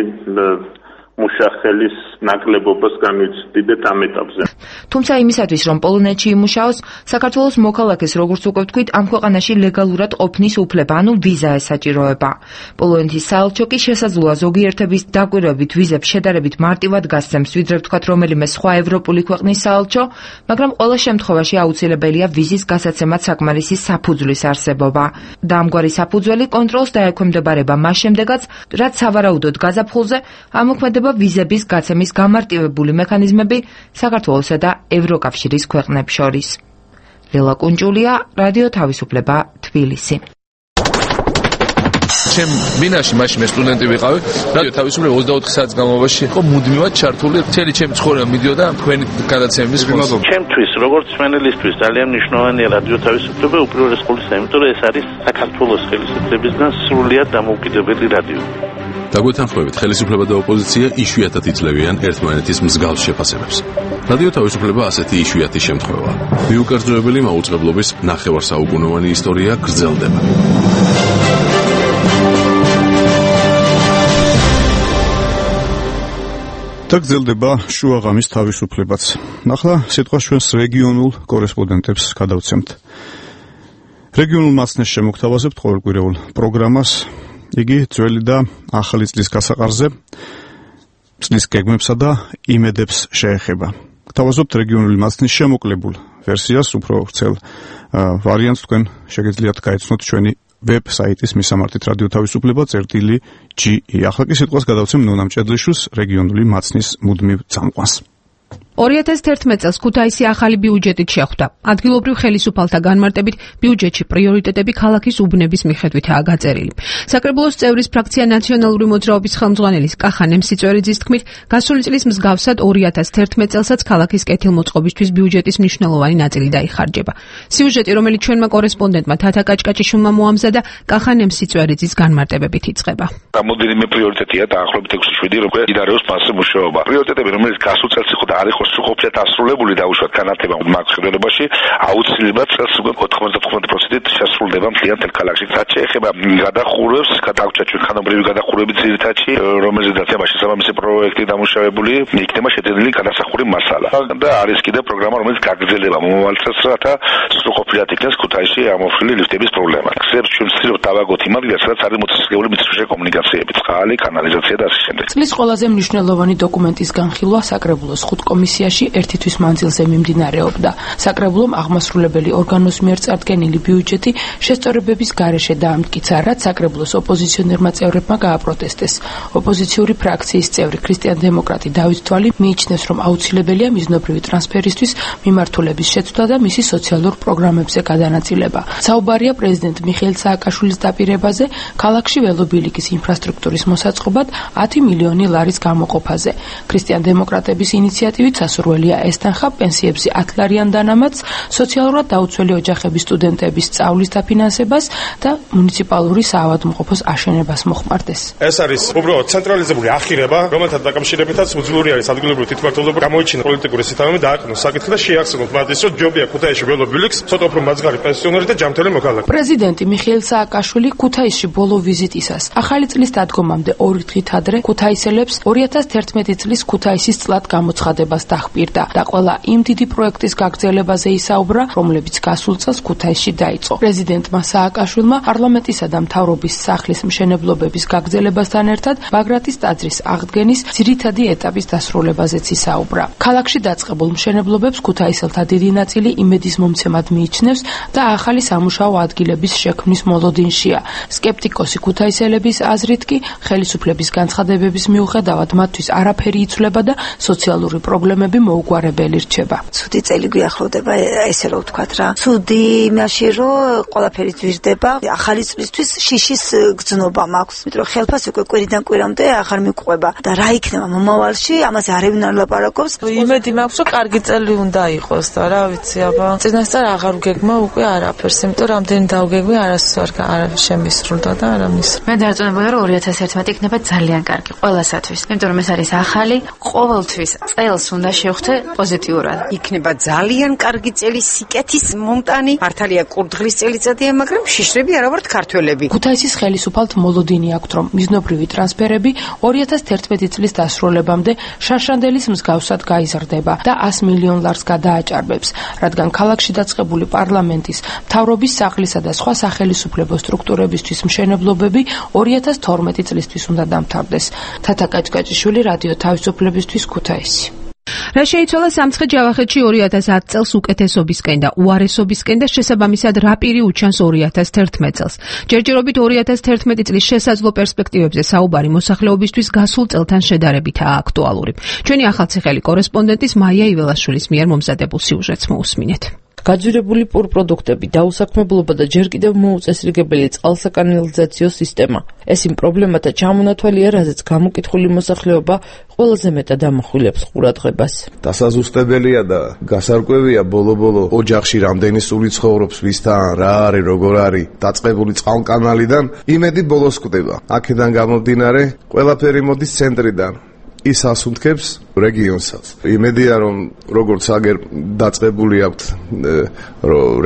მუშახელის ნაკლებობას განვიცდიდეთ ამ ეტაპზე. თუმცა იმისათვის, რომ პოლონეთში იმუშაოს, საქართველოს მოქალაქეს, როგორც უკვე ვთქვით, ამ ქვეყანაში ლეგალურად ყოფნის უფლება, ანუ ვიზა ესაჭიროება. პოლონეთის საელჩო კი შესაძლოა ზოგიერთების დაკვირვებით ვიზებს შედარებით მარტივად გასცემს, ვიდრე ვთქვათ რომელიმე სხვა ევროპული ქვეყნის საელჩო, მაგრამ ყველა შემთხვევაში აუცილებელია ვიზის გასაცემად საკმარისი საფუძვლის არსებობა. და ამგვარი საფუძველი კონტროლს დაექვემდებარება მას შემდეგაც, რაც სავარაუდოდ გაზაფხულზე ამოქმედება ვიზების გაცემის გამარტივებული მექანიზმები საქართველოსა და ევროკავშირის ქვეყნებს შორის. ლელა კუნჭულია, რადიო თავისუფლება, თბილისი. ჩემ ბინაში მაშინ მე სტუდენტი ვიყავი, რადიო თავისუფლება 24 საათის განმავლობაში იყო მუდმივად ჩართული, მთელი ჩემი ცხოვრება მიდიოდა თქვენი გადაცემების ხმაზე. ჩემთვის, როგორც მენელისთვის, ძალიან მნიშვნელოვანია რადიო თავისუფლება უპირველეს ყოვლისა, იმიტომ რომ ეს არის საქართველოს ხელისუფლებისგან სრულიად დამოუკიდებელი რადიო. დაგვეთანხმებით, ხელისუფლება და ოპოზიცია იშვიათად იძლევიან ერთმანეთის მსგავს შეფასებებს. რადიო თავისუფლება ასეთი იშვიათი შემთხვევაა. მიუკერძოებელი მაუწყებლობის ნახევარსაუკუნოვანი ისტორია გრძელდება. და გრძელდება შუაღამის თავისუფლებაც. ახლა სიტყვა ჩვენს რეგიონულ კორესპონდენტებს გადავცემთ. რეგიონულ მაცნეს შემოგთავაზებთ ყოველკვირეულ პროგრამას. იგი ძველი და ახალი წლის გასაყარზე წლის გეგმებსა და იმედებს შეეხება. გთავაზობთ რეგიონული მაცნის შემოკლებულ ვერსიას, უფრო ვრცელ ვარიანტს თქვენ შეგიძლიათ გაეცნოთ ჩვენი ვებ-საიტის მისამართით რადიო თავისუფლება წერტილი.ge. ახლა კი სიტყვას გადავცემ ნონა მჭედლიშვილს, რეგიონული მაცნის მუდმივ წამყვანს. 2011 წელს ქუთაისი ახალი ბიუჯეტით შეხვდა. ადგილობრივ ხელისუფალთა განმარტებით ბიუჯეტში პრიორიტეტები ქალაქის უბნების მიხედვითაა გაწერილი. საკრებულოს წევრის ფრაქცია ნაციონალური მოძრაობის ხელმძღვანელის კახან ემსიწვერიძის თქმით, გასული წლის მსგავსად 2011 წელსაც ქალაქის კეთილმოწყობისთვის ბიუჯეტის მნიშვნელოვანი ნაწილი დაიხარჯება. სიუჟეტი, რომელიც ჩვენმა კორესპონდენტმა თათა კაჭკაჭიშვილმა მოამზადა, კახან ემსიწვერიძის განმარტებებით იწყება. რამოდენიმე პრიორიტეტია დაახლოებით 6-7, რომ იდარეოს მასზე მუშაობა. პრიორიტეტები, რომელიც გასულ წელს იყო და არ იყო სრულყოფილად ასრულებული და უშუალოდ განათლება მაგ ხელოვნებაში აუცილებლად წელს 99% შესრულდება მთლიან თელ ქალაქში. რაც შეეხება გადახურვებს, გადაგვჭა ჩვენ ხანობრივი გადახურვები ძირითადში, რომელზედაც ამაში შესაბამისი პროექტი დამუშავებული, იქნება შეძენილი გადასახური მასალა. და არის კიდევ პროგრამა, რომელიც გაგრძელდება მომავალ წელს, რათა სრულყოფილად იქნეს ქუთაისში ამოფრილი ლიფტების პრობლემა. გზებს ჩვენ ვცდილობთ დავაგოთ იმ ადგილას, სადაც არის მოცილებული მიწისქვეშა კომუნიკაციები, წყალი, კანალიზაცია და ასე შემდეგ. წლის ყველაზე მნიშვნელოვანი დოკუმენტის განხილვა საკრებულოს 5 კომისიაში ერთი თვის მანძილზე მიმდინარეობდა. საკრებულომ აღმასრულებელი ორგანოს მიერ წარდგენილი ბიუჯეტი შესწორებების გარეშე დაამტკიცა, რაც საკრებულოს ოპოზიციონერმა წევრებმა გააპროტესტეს. ოპოზიციური ფრაქციის წევრი ქრისტიან-დემოკრატი დავით თვალი მიიჩნევს, რომ აუცილებელია მიზნობრივი ტრანსფერისთვის მიმართულების შეცვლა და მისი სოციალურ პროგრამებზე გადანაწილება. საუბარია პრეზიდენტ მიხეილ სააკაშვილის დაპირებაზე, ქალაქში ველობილიკის ინფრასტრუქტურის მოსაწყობად 10 მილიონი ლარის გამოყოფაზე. ქრისტიან-დემოკრატების ინიციატივით სასურველია ესტანხა პენსიებზე 10 ლარიან დანამატს, სოციალურად დაუცველი ოჯახების სტუდენტების სწავლის დაფინანსებას და მუნიციპალური საავადმყოფოს აშენებას მოხმარდეს. ეს არის უბრალოდ ცენტრალიზებული ახირება, რომელთან დაკავშირებითაც უძლური არის ადგილობრივი თვითმმართველობა, გამოიჩინა პოლიტიკური სისტემა, დააყენოს საკითხი და შეახსენოთ მათ ის, რომ ჯობია ქუთაისში ველობილიქს, ცოტა უფრო მაძღარი პენსიონერი და ჯანმრთელი მოქალაქე. პრეზიდენტი მიხეილ სააკაშვილი ქუთაისში ბოლო ვიზიტისას ახალი წლის დადგომამდე 2 დღით ადრე ქუთაისელებს 2011 წლის ქუთაისის წლად გამოცხადებას დაჰპირდა და ყველა იმ დიდი პროექტის გაგრძელებაზე ისაუბრა, რომლებიც გასულ წელს ქუთაისში დაიწყო. პრეზიდენტმა სააკაშვილმა პარლამენტისა და მთავრობის სახლის მშენებლობების გაგრძელებასთან ერთად ბაგრატის ტაძრის აღდგენის ძირითადი ეტაპის დასრულებაზეც ისაუბრა. ქალაქში დაწყებულ მშენებლობებს ქუთაისელთა დიდი ნაწილი იმედის მომცემად მიიჩნევს და ახალი სამუშაო ადგილების შექმნის მოლოდინშია. სკეპტიკოსი ქუთაისელების აზრით კი ხელისუფლების განცხადებების მიუხედავად მათთვის არაფერი იცვლება და სოციალური პრობლემები მოუგვარებელი რჩება. ცუდი წელი გვიახლოვდება, ესე რომ ვთქვათ რა. ცუდი იმაში რომ ყველაფერი ძვირდება, ახალი წლისთვის შიშის გრძნობა მაქვს. იმიტომ რომ ხელფას უკვე კვირიდან კვირამდე აღარ მიყვება და რა იქნება მომავალში, ამაზე არავინ არ ლაპარაკობს. იმედი მაქვს რომ კარგი წელი უნდა იყოს და რა ვიცი, აბა წინასწარ აღარ ვგეგმა უკვე არაფერს, იმიტომ რომ ამდენი დავგეგმე არასდროს არ შემისრულდა და არა მის. მე დარწმუნებული რომ 2011 იქნება ძალიან კარგი ყველასათვის, იმიტომ რომ ეს არის ახალი, ყოველთვის წელს უნდა შევხვდე პოზიტიურად. იქნება ძალიან კარგი წელი, სიკეთის მომტანი, მართალია კურდღლის წელიწადია, მაგრამ შიშრები არა ვართ ქართველები. ქუთაისის ხელისუფალთ მოლოდინი აქვთ, რომ მიზნობრივი ტრანსფერები 2011 წლის დასრულებამდე შაშანდელის მსგავსად გაიზრდება და 100 მილიონ ლარს გადააჭარბებს, რადგან ქალაქში დაწყებული პარლამენტის, მთავრობის სახლისა და სხვა სახელისუფლებო სტრუქტურებისთვის მშენებლობები 2012 წლისთვის უნდა დამთავრდეს. თათა კაჭკაჭიშვილი, რადიო თავისუფლებისთვის, ქუთაისი. რა შეიცვალა სამცხე ჯავახეთში 2010 წელს უკეთესობისკენ და უარესობისკენ და შესაბამისად რა პირი უჩანს 2011 წელს. ჯერჯერობით 2011 წლის შესაძლო პერსპექტივებზე საუბარი მოსახლეობისთვის გასულ წელთან შედარებითაა აქტუალური. ჩვენი ახალციხელი კორესპონდენტის მაია იველაშვილის მიერ მომზადებულ სიუჟეტს მოусმინეთ. გაძვირებული პურპროდუქტები, დაუსაქმებლობა და ჯერ კიდევ მოუწესრიგებელი წყალსაკანალიზაციო სისტემა. ეს იმ პრობლემათა ჩამონათვალია, რაზეც გამოკითხული მოსახლეობა ყველაზე მეტად ამახვილებს ყურადღებას. დასაზუსტებელია და გასარკვევია ბოლო-ბოლო ოჯახში რამდენი სული ცხოვრობს, ვისთან, რა არის, როგორ არის, დაწყებული წყალკანალიდან იმედი ბოლოს კვდება. აქედან გამომდინარე, ყველაფერი მოდის ცენტრიდან. ის ასუნთქებს რეგიონსაც. იმედია რომ როგორც აგერ დაწყებული აქვს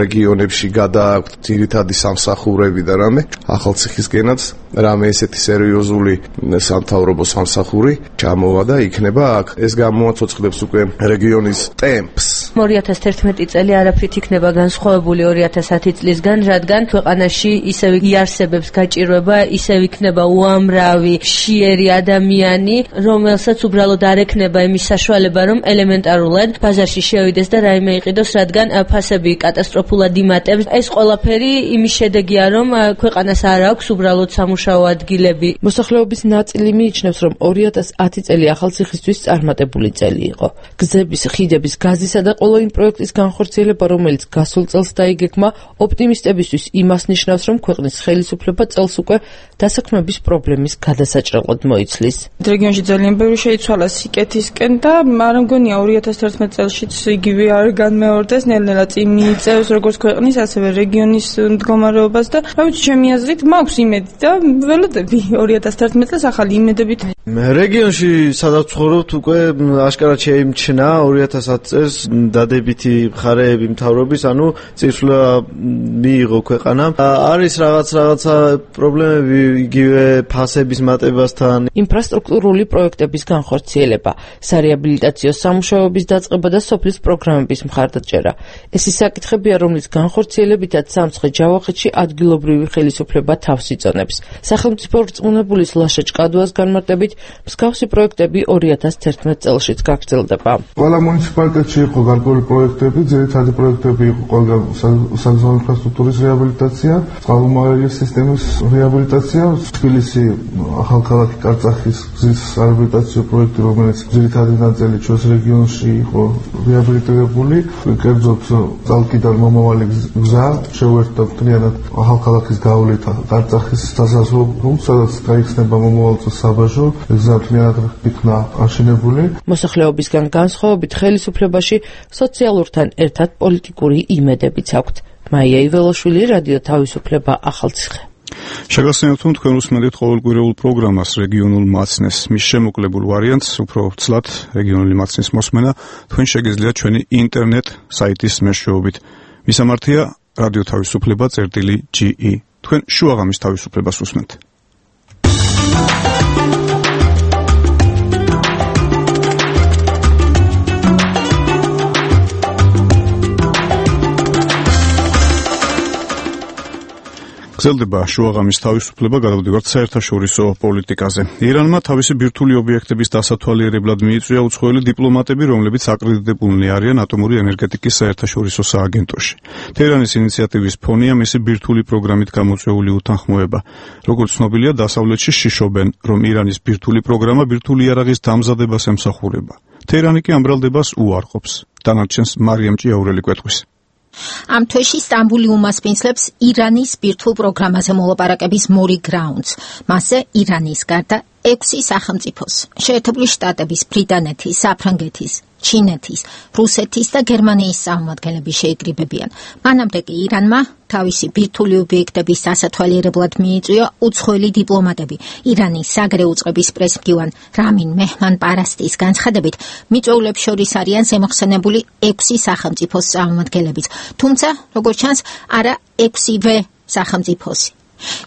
რეგიონებში გადააქვთ ძირითადი სამსახურები და რამე, ახალციხისკენაც რამე ესეთი სერიოზული სამთავრობო სამსახური ჩამოვა და იქნება აქ. ეს გამოაცოცხლებს უკვე რეგიონის ტემპს. 2011 წელი არაფრით იქნება განსხვავებული 2010 წლისგან, რადგან ქვეყანაში ისევ იარსებებს გაჭირვება, ისევ იქნება უამრავი შიერი ადამიანი, რომელსაც უბრალოდ არ ექნება იმის საშუალება, რომ ელემენტარულად ბაზარში შევიდეს და რაიმე იყიდოს, რადგან ფასები კატასტროფულად იმატებს. ეს ყველაფერი იმის შედეგია, რომ ქვეყანას არ აქვს უბრალოდ სამუშაო ადგილები. მოსახლეობის ნაწილი მიიჩნევს, რომ 2010 წელი ახალციხისთვის წარმატებული წელი იყო. გზების, ხიდების, გაზისა და ყველა იმ პროექტის განხორციელება, რომელიც გასულ წელს დაიგეგმა, ოპტიმისტებისთვის იმას ნიშნავს, რომ ქვეყნის ხელისუფლება წელს უკვე დასაქმების პრობლემის გადასაჭრელად მოიცლის. რეგიონში ძალიან ბევრი შეიცვალა სიკეთისკენ და არ მგონია 2011 წელშიც იგივე არ განმეორდეს, ნელ-ნელა წინ მიიწევს როგორც ქვეყნის, ასევე რეგიონის მდგომარეობას და რა ვიცი, ჩემი აზრით მაქვს იმედი და ველოდები 2011 წელს ახალი იმედებით. რეგიონში სადაც ცხოვრობთ უკვე აშკარად შეიმჩნია 2010 წელს დადებითი მხარეები მთავრობის, ანუ წინსვლა მიიღო ქვეყანამ. არის რაღაცა პრობლემები იგივე ფასების მატებასთან, ინფრასტრუქტურული პროექტების განხორციელება, სარეაბილიტაციო სამუშაოების დაწყება და სოფლის პროგრამების მხარდაჭერა. ეს ის საკითხებია, რომლის განხორციელებითაც სამცხე ჯავახეთში ადგილობრივი ხელისუფლება თავს იწონებს. სახელმწიფო რწმუნებულის ლაშა ჭკადუას განმარტებით, მსგავსი პროექტები 2011 წელშიც გაგრძელდება. ყველა მუნიციპალიტეტში იყო გარკვეული პროექტები, ძირითადი პროექტები იყო ყველგან საგზაო ინფრასტრუქტურის რეაბილიტაცია, წყალმომავალი სისტემის რეაბილიტაცია, თბილისი ახალქალაქი კარწახის გზის რეაბილიტაციო პროექტი, რომელიც ძირითადი ნაწილი ჩვენს რეგიონში იყო რეაბილიტირებული, კერძოდ წალკიდან მომავალი გზა შეუერთდა მთლიანად ახალქალაქის გავლით კარწახის სასაზღვრო პუნქტს, სადაც გაიხსნება მომავალ წელს საბაჟო, გზა მთლიანად იქნა აშენებული. მოსახლეობისგან განსხვავებით ხელისუფლებაში სოციალურთან ერთად პოლიტიკური იმედებიც აქვთ. მაია იველაშვილი, რადიო თავისუფლება, ახალციხე. შეგახსენებთ, თქვენ უსმენთ ყოველკვირეულ პროგრამას რეგიონულ მაცნეს. მის შემოკლებულ ვარიანტს, უფრო ცლად რეგიონული მაცნის მოსმენა, თქვენ შეგიძლიათ ჩვენი ინტერნეტ საიტის მეშვეობით. მისამართია რადიო თავისუფლება წერტილი.ge. თქვენ შუაღამის თავისუფლებას უსმენთ. გრძელდება შუაღამის თავისუფლება, გადავდივართ საერთაშორისო პოლიტიკაზე. ირანმა თავისი ბირთვული ობიექტების დასათვალიერებლად მიიწვია უცხოელი დიპლომატები, რომლებიც აკრედიტებულნი არიან ატომური ენერგეტიკის საერთაშორისო სააგენტოში. თეირანის ინიციატივის ფონია მისი ბირთვული პროგრამით გამოწვეული უთანხმოება. როგორც ცნობილია, დასავლეთში შიშობენ, რომ ირანის ბირთვული პროგრამა ბირთვული იარაღის დამზადებას ემსახურება. თეირანი კი ამ ბრალდებას უარყოფს. დანარჩენს მარიამ ჭიაურელი კვეთყვის. ამ თვეში სტამბული უმასპინძლებს ირანის ბირთვულ პროგრამაზე მოლაპარაკების მორი გრაუნდს. მასზე ირანის გარდა 6 სახელმწიფოს, შეერთებული შტატების, ბრიტანეთის, საფრანგეთის, ჩინეთის, რუსეთის და გერმანიის წარმომადგენლები შეიკრიბებიან. მანამდე კი ირანმა თავისი ბირთვული ობიექტების დასათვალიერებლად მიიწვია უცხოელი დიპლომატები. ირანის საგრე უწყების პრესმდივან რამინ მეჰმან-პარასტის განცხადებით, მიწვეულებს შორის არიან ზემოხსენებული 6 სახელმწიფოს წარმომადგენლებიც, თუმცა, როგორც ჩანს, არა 6-ვე სახელმწიფოსი.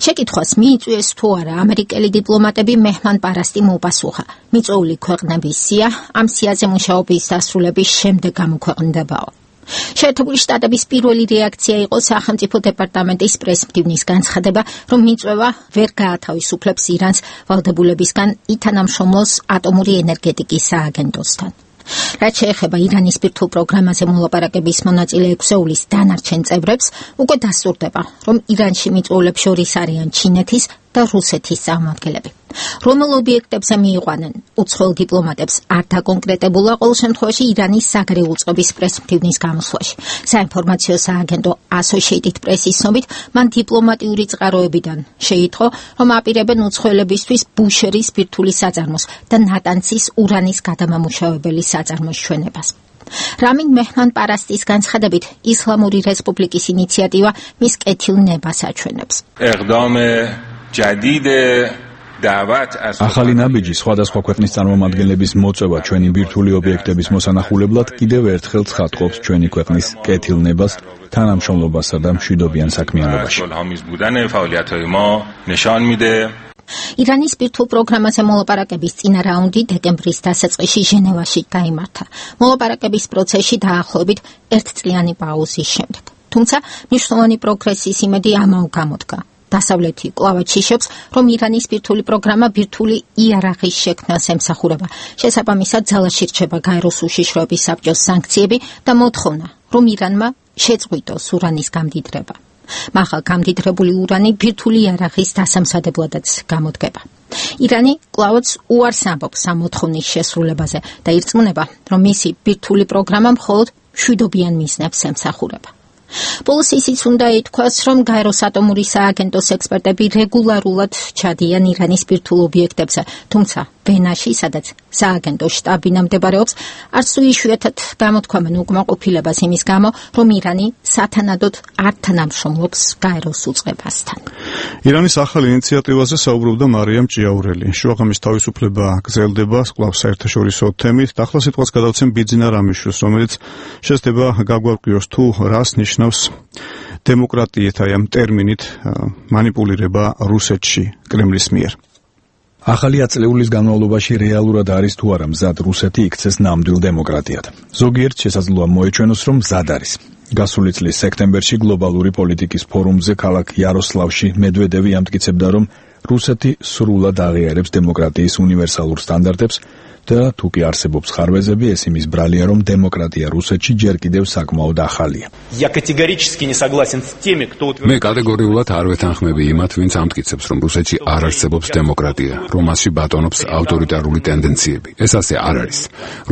შეკითხვას მიიწვიეს თუ არა ამერიკელი დიპლომატები მეჰმან-პარასტიმ უპასუხა. მიწვეული ქვეყნების სია ამ სიაზე მუშაობის დასრულების შემდეგ გამოქვეყნდებაო. შეერთებული შტატების პირველი რეაქცია იყო სახელმწიფო დეპარტამენტის პრესმდივნის განცხადება, რომ მიწვევა ვერ გაათავისუფლებს ირანს ვალდებულებისგან ითანამშრომლოს ატომური ენერგეტიკის სააგენტოსთან. რაც შეეხება ირანის ბირთვულ პროგრამაზე მოლაპარაკების მონაწილე 6-ეულის დანარჩენ წევრებს, უკვე დასტურდება, რომ ირანში მიწვეულებს შორის არიან ჩინეთის და რუსეთის წარმომადგენლები. რომელ ობიექტებზე მიიყვანენ უცხოელ დიპლომატებს არ დაკონკრეტებულა, ყოველ შემთხვევაში ირანის საგრე უწყების პრესმდივნის გამოსვლაში. საინფორმაციო სააგენტო Associated Press-ის ცნობით, მან დიპლომატიური წყაროებიდან შეიტყო, რომ აპირებენ უცხოელებისთვის ბუშერის ბირთვული საწარმოს და ნატანცის ურანის გადამამუშავებელი საწარმოს ჩვენებას. რამინ მეჰმან-პარასტის განცხადებით, ისლამური რესპუბლიკის ინიციატივა მის კეთილნებას აჩვენებს. ახალი ნაბიჯი სხვადასხვა ქვეყნის წარმომადგენლების მოწვევა ჩვენი ბირთვული ობიექტების მოსანახულებლად კიდევ ერთხელ ცხადყოფს ჩვენი ქვეყნის კეთილნებას, თანამშრომლობასა და მშვიდობიან საქმიანობაში. ირანის ბირთვულ პროგრამაზე მოლაპარაკების წინა რაუნდი დეკემბრის დასაწყისში ჟენევაში გაიმართა. მოლაპარაკების პროცესში დაახლოებით 1 წლიანი პაუზის შემდეგ. თუმცა მნიშვნელოვანი პროგრესის იმედი ამაო გამოდგა. დასავლეთი კვლავაც იშობს, რომ ირანის ბირთვული პროგრამა ბირთვული იარაღის შექმნას ემსახურება. შესაბამისად, ძალაში რჩება გაეროს უშიშროების საბჭოს სანქციები და მოთხოვნა, რომ ირანმა შეწყვიტოს ურანის გამდიდრება. მაღალ გამდიდრებული ურანი ბირთვული იარაღის დასამზადებლადაც გამოდგება. ირანი კვლავაც უარს ამბობს ამ მოთხოვნის შესრულებაზე და ირწმუნება, რომ მისი ბირთვული პროგრამა მხოლოდ მშვიდობიან მიზნებს ემსახურება. ბოლოს ისიც უნდა ითქვას, რომ გაეროს ატომური სააგენტოს ექსპერტები რეგულარულად ჩადიან ირანის ბირთვულ ობიექტებზე, თუმცა ვენაში, სადაც სააგენტოს შტაბინა მდებარეობს, არც თუ იშვიათად გამოთქვამენ უკმაყოფილებას იმის გამო, რომ ირანი სათანადოდ არ თანამშრომლობს გაეროს უწყებასთან. ირანის ახალ ინიციატივაზე საუბრობდა მარიამ ჭიაურელი. შუაღამის თავისუფლება გრძელდება კვლავ საერთაშორისო თემით. ახლა სიტყვას გადავცემ ბიძინა რამიშვილს, რომელიც შეძდება გაგვარკვიოს თუ რას ნიშნავს დემოკრატიით, აი ამ ტერმინით მანიპულირება რუსეთში კრემლის მიერ. ახალი აწლეულის განმავლობაში რეალურად არის თუ არა მზად რუსეთი იქცეს ნამდვილ დემოკრატიად. ზოგიერთ შესაძლოა მოეჩვენოს, რომ მზად არის. გასული წლის სექტემბერში გლობალური პოლიტიკის ფორუმზე ქალაქ იაროსლავში მედვედევი ამტკიცებდა, რომ რუსეთი სრულად აღიარებს დემოკრატიის უნივერსალურ სტანდარტებს და თუ კი არსებობს ხარვეზები, ეს იმის ბრალია, რომ დემოკრატია რუსეთში ჯერ კიდევ საკმაოდ ახალია. მე კატეგორიულად არ ვეთანხმები იმათ, ვინც ამტკიცებს, რომ რუსეთში არ არსებობს დემოკრატია, რომ მასში ბატონობს ავტორიტარული ტენდენციები. ეს ასე არ არის.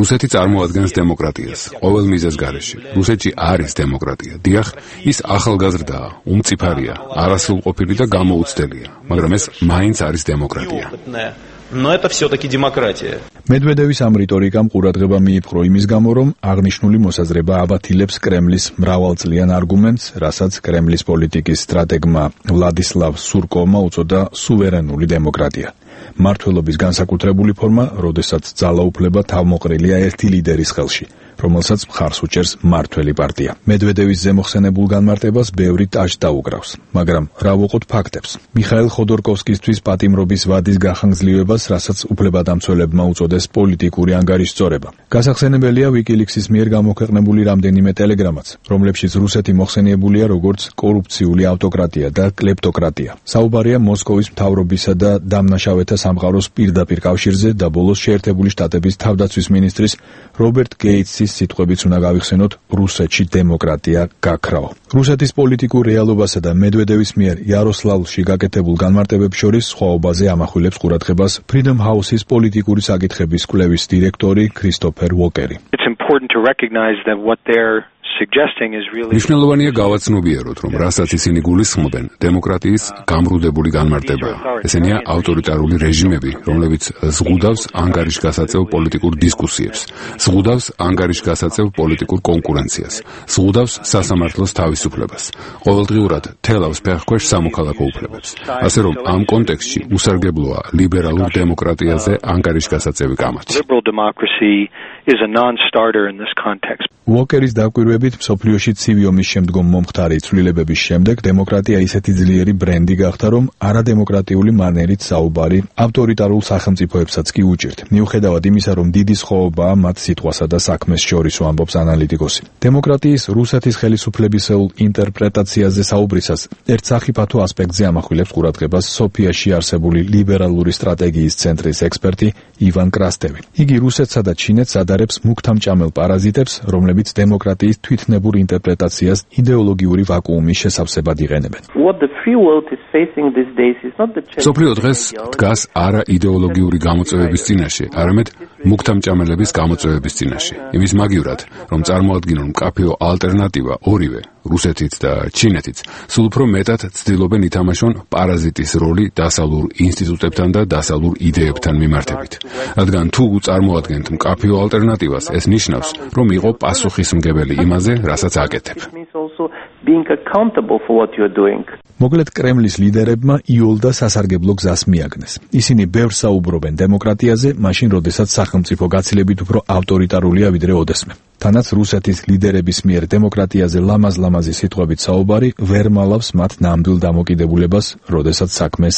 რუსეთი წარმოადგენს დემოკრატიას ყოველ მიზეზს გარეშე. რუსეთში არის დემოკრატია. დიახ, ის ახალგაზრდაა, უმწიფარია, არასრულყოფილი და გამოუცდელია, მაგრამ ეს მაინც არის დემოკრატია. Но это всё-таки демократия. მედვედევის ამ რიტორიკამ ყურადღება მიიპყრო იმის გამო, რომ აღნიშნული მოსაზრება აბათილებს კრემლის მრავალწლიან არგუმენტს, რასაც კრემლის პოლიტიკის სტრატეგმა ვლადისლავ სურკოვმა უწოდა სუვერენული დემოკრატია. მმართველობის განსაკუთრებული ფორმა, როდესაც ძალაუფლება თავმოყრილია ერთი ლიდერის ხელში, რომელსაც მხარს უჭერს მმართველი პარტია. მედვედევის ზემოხსენებულ განმარტებას ბევრი ტაჟ დაუკრავს, მაგრამ რა ვუყოთ ფაქტებს. მიხაილ ხოდორკოვსკისთვის პატიმრობის ვადის გახანგრძლივებას, რასაც უფლებადამცველებმა უწოდეს პოლიტიკური ანგარიშწორება. გასახსენებელია WikiLeaks-ის მიერ გამოქვეყნებული რამდენიმე ტელეგრამაც, რომლებშიც რუსეთი მოხსენიებულია როგორც კორუფციული ავტოკრატია და კლეპტოკრატია. საუბარია მოსკოვის მთავრობისა და დამნაშავეთა სამყაროს პირდაპირ კავშირზე და ბოლოს შეერთებული შტატების თავდაცვის მინისტრის რობერტ გეიტსის სიტყვებიც უნდა გავიხსენოთ, რუსეთში დემოკრატია გაქრაო. რუსეთის პოლიტიკურ რეალობასა და მედვედევის მიერ იაროსლავლში გაკეთებულ განმარტებებს შორის სხვაობაზე ამახვილებს ყურადღებას Freedom House-ის პოლიტიკური საკითხების კვლევის დირექტორი ქრისტოფერ ვოკერი. It's important to recognize that what they're suggesting is really მნიშვნელოვანია გავაცნობიეროთ, რომ რასაც ისინი გულისხმობენ, დემოკრატიის გამრუდებული განმარტებაა. ესენია ავტორიტარული რეჟიმები, რომლებიც ზღუდავს ანგარიშგასაწევ პოლიტიკურ დისკუსიებს, ზღუდავს ანგარიშგასაწევ პოლიტიკურ კონკურენციას, ზღუდავს სასამართლოს თავისუფლებას, ყოველდღიურად თელავს ფეხქვეშ სამოქალაქო უფლებებს. ასე რომ ამ კონტექსტში უსარგებლოა ლიბერალურ დემოკრატიაზე ანგარიშგასაწევი კამათი. Liberal democracy is a non-starter in this context. ვოკერის დაკვირვებით მსოფლიოში ცივი ომის შემდგომ მომხდარი ცვლილებების შემდეგ დემოკრატია ისეთი ძლიერი ბრენდი გახდა, რომ არადემოკრატიული მანერით საუბარი ავტორიტარულ სახელმწიფოებსაც კი უჭირთ. მიუხედავად იმისა, რომ დიდი სხვაობაა მათ სიტყვასა და საქმეს შორის, ამბობს ანალიტიკოსი. დემოკრატიის რუსეთის ხელისუფლებისეულ ინტერპრეტაციაზე საუბრისას ერთ სახიფათო ასპექტზე ამახვილებს ყურადღებას სოფიაში არსებული ლიბერალური სტრატეგიის ცენტრის ექსპერტი ივან კრასტევი. იგი რუსეთსა და ჩინეთს ადარებს მუქთამჭამელ პარაზიტებს, რომლებიც დემოკრატიის თვითნებურ ინტერპრეტაციას იდეოლოგიური ვაკუუმის შესავსებად იყენებენ. სოფლიო დღეს დგას არა იდეოლოგიური გამოწვევების წინაშე, არამედ მუქთამჭამელების გამოწვევების წინაშე. იმის მაგივრად, რომ წარმოადგინონ მკაფიო ალტერნატივა ორივე, რუსეთიც და ჩინეთიც, სულ უფრო მეტად ცდილობენ ითამაშონ პარაზიტის როლი დასავლურ ინსტიტუტებთან და დასავლურ იდეებთან მიმართებით. რადგან თუ წარმოადგენთ მკაფიო ალტერნატივას, ეს ნიშნავს, რომ იყო პასუხისმგებელი იმაზე, რასაც აკეთებ. მოკლედ კრემლის ლიდერებმა იოლდა სასარგებლო გზას მიაგნეს. ისინი ბევრს საუბრობენ დემოკრატიაზე, მაშინ როდესაც სახელმწიფო გაცილებით უფრო ავტორიტარულია ვიდრე ოდესმე. თანაც რუსეთის ლიდერების მიერ დემოკრატიაზე ლამაზ-ლამაზი სიტყვებით საუბარი ვერ მალავს მათ ნამდვილ დამოკიდებულებას, როდესაც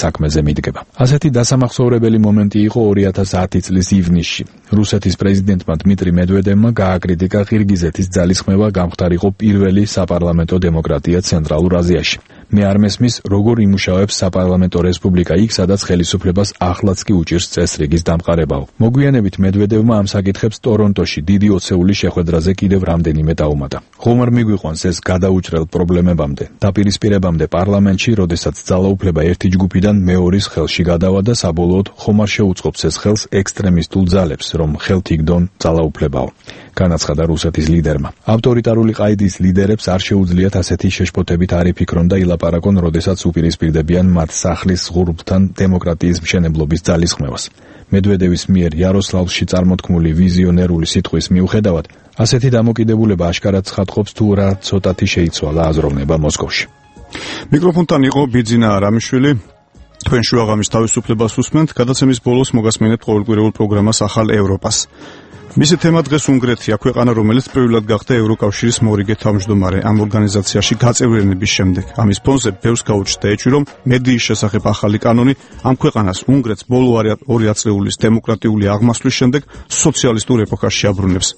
საქმეზე მიდგება. ასეთი დასამახსოვრებელი მომენტი იყო 2010 წლის ივნისში. რუსეთის პრეზიდენტმა დმიტრი მედვედევმა გააკრიტიკა ყირგიზეთის ძალისხმევა გამხდარიყო პირველი საპარლამენტო დემოკრატია ცენტრალურ აზიაში. მე არ მესმის, როგორ იმუშავებს საპარლამენტო რესპუბლიკა იქ, სადაც ხელისუფლებას ახლაც კი უჭირს წესრიგის დამყარებაო. მოგვიანებით მედვედევმა ამ საკითხებს ტორონტოში დიდი ოცეული შეხვედრაზე კიდევ რამდენიმე დაუმატა. ხომ არ მიგვიყვანს ეს გადაუჭრელ პრობლემებამდე, დაპირისპირებამდე პარლამენტში, როდესაც ძალაუფლება ერთი ჯგუფიდან მეორის ხელში გადავა და საბოლოოდ ხომ არ შეუწყობს ეს ხელს ექსტრემისტულ ძალებს, რომ ხელთ იგდონ ძალაუფლებაო. განაცხადა რუსეთის ლიდერმა. ავტორიტარული ყაიდის ლიდერებს არ შეუძლიათ ასეთი შეშფოთებით არ იფიქრონ და ილაპარაკონ, როდესაც უპირისპირდებიან მათ სახლის ღურბთან დემოკრატიის მშენებლობის ძალისხმევას. მედვედევის მიერ იაროსლავლში წარმოთქმული ვიზიონერული სიტყვის მიუხედავად, ასეთი დამოკიდებულება აშკარად ცხადყოფს თუ რა ცოტათი შეიცვალა აზროვნება მოსკოვში. მიკროფონთან იყო ბიძინა არამიშვილი. თქვენ შუაღამის თავისუფლებას უსმენთ, გადაცემის ბოლოს მოგასმენებთ ყოველკვირეულ პროგრამას ახალ ევროპას. მისი თემა დღეს უნგრეთია, ქვეყანა, რომელიც პირველად გახდა ევროკავშირის მორიგე თავმჯდომარე ამ ორგანიზაციაში გაწევრიანების შემდეგ. ამის ფონზე ბევრს გაუჩნდა ეჭვი, რომ მედიის შესახებ ახალი კანონი ამ ქვეყანას უნგრეთს ბოლო 2 ათწლეულის დემოკრატიული აღმასვლის შემდეგ სოციალისტურ ეპოქაში აბრუნებს.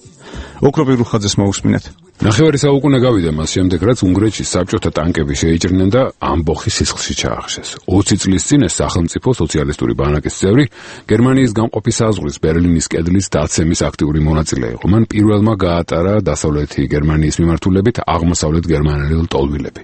ოქროპი რუხაძეს მოусმინეთ. ნახევარი საუკუნე გავიდა მას შემდეგ, რაც უნგრეთში საბჭოთა ტანკები შეიჭრნენ და ამბოხი სისხლში ჩაახშეს. 20 წლის წინ ეს სახელმწიფო სოციალისტური ბანაკის წევრი გერმანიის გამყოფი საზღვრის ბერლინის კედლის დაცემის აქტიური მონაწილე იყო. მან პირველმა გაატარა დასავლეთი გერმანიის მიმართულებით აღმოსავლეთ გერმანელი ლტოლვილები.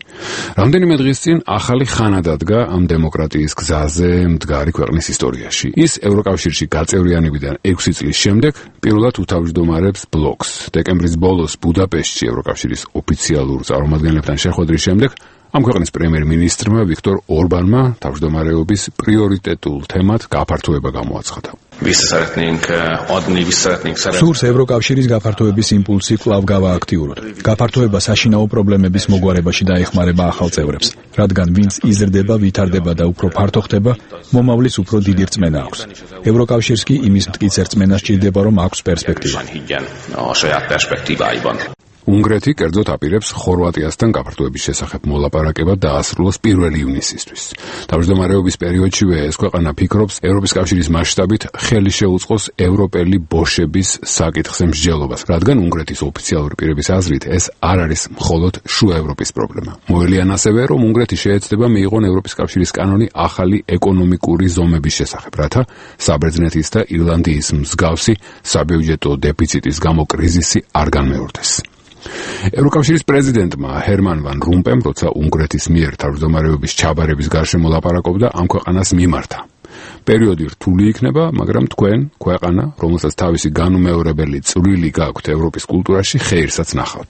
რამდენიმე დღის წინ ახალი ხანა დადგა ამ დემოკრატიის გზაზე მდგარი ქვეყნის ისტორიაში. ის ევროკავშირში გაწევრიანებიდან 6 წლის შემდეგ პირველად უთავმჯდომარებს ბლოკს. დეკემბრის ბოლოს ბუდაპეშტში ევროკავშირის ოფიციალურ წარმომადგენლებთან შეხვედრის შემდეგ ამ ქვეყნის პრემიერ-მინისტრმა ვიქტორ ორბანმა თავმჯდომარეობის პრიორიტეტულ თემად გაფართოება გამოაცხადა. სურს ევროკავშირის გაფართოების იმპულსი კვლავ გავააქტიუროთ. გაფართოება საშინაო პრობლემების მოგვარებაში დაეხმარება ახალ წევრებს, რადგან ვინც იზრდება, ვითარდება და უფრო ფართო ხდება, მომავლის უფრო დიდი რწმენა აქვს. ევროკავშირს კი იმის მტკიცე რწმენა სჭირდება, რომ აქვს პერსპექტივა. უნგრეთი კერძოდ აპირებს ხორვატიასთან გაფართოების შესახებ მოლაპარაკება დაასრულოს 1 ივნისისთვის. თავმჯდომარეობის პერიოდშივე ეს ქვეყანა ფიქრობს ევროპის კავშირის მასშტაბით ხელი შეუწყოს ევროპელი ბოშების საკითხზე მსჯელობას, რადგან უნგრეთის ოფიციალური პირების აზრით ეს არ არის მხოლოდ შუა ევროპის პრობლემა. მოელიან ასევე, რომ უნგრეთი შეეცდება მიიღონ ევროპის კავშირის კანონი ახალი ეკონომიკური ზომების შესახებ, რათა საბერძნეთის და ირლანდიის მსგავსი საბიუჯეტო დეფიციტის გამო კრიზისი არ განმეორდეს. ევროკავშირის პრეზიდენტმა ჰერმან ვან რომპემ, როცა უნგრეთის მიერ თავმჯდომარეობის ჩაბარების გარშემო ლაპარაკობდა, ამ ქვეყანას მიმართა. პერიოდი რთული იქნება, მაგრამ თქვენ, ქვეყანა, რომელსაც თავისი განუმეორებელი წვლილი გაქვთ ევროპის კულტურაში, ხეირსაც ნახავთ.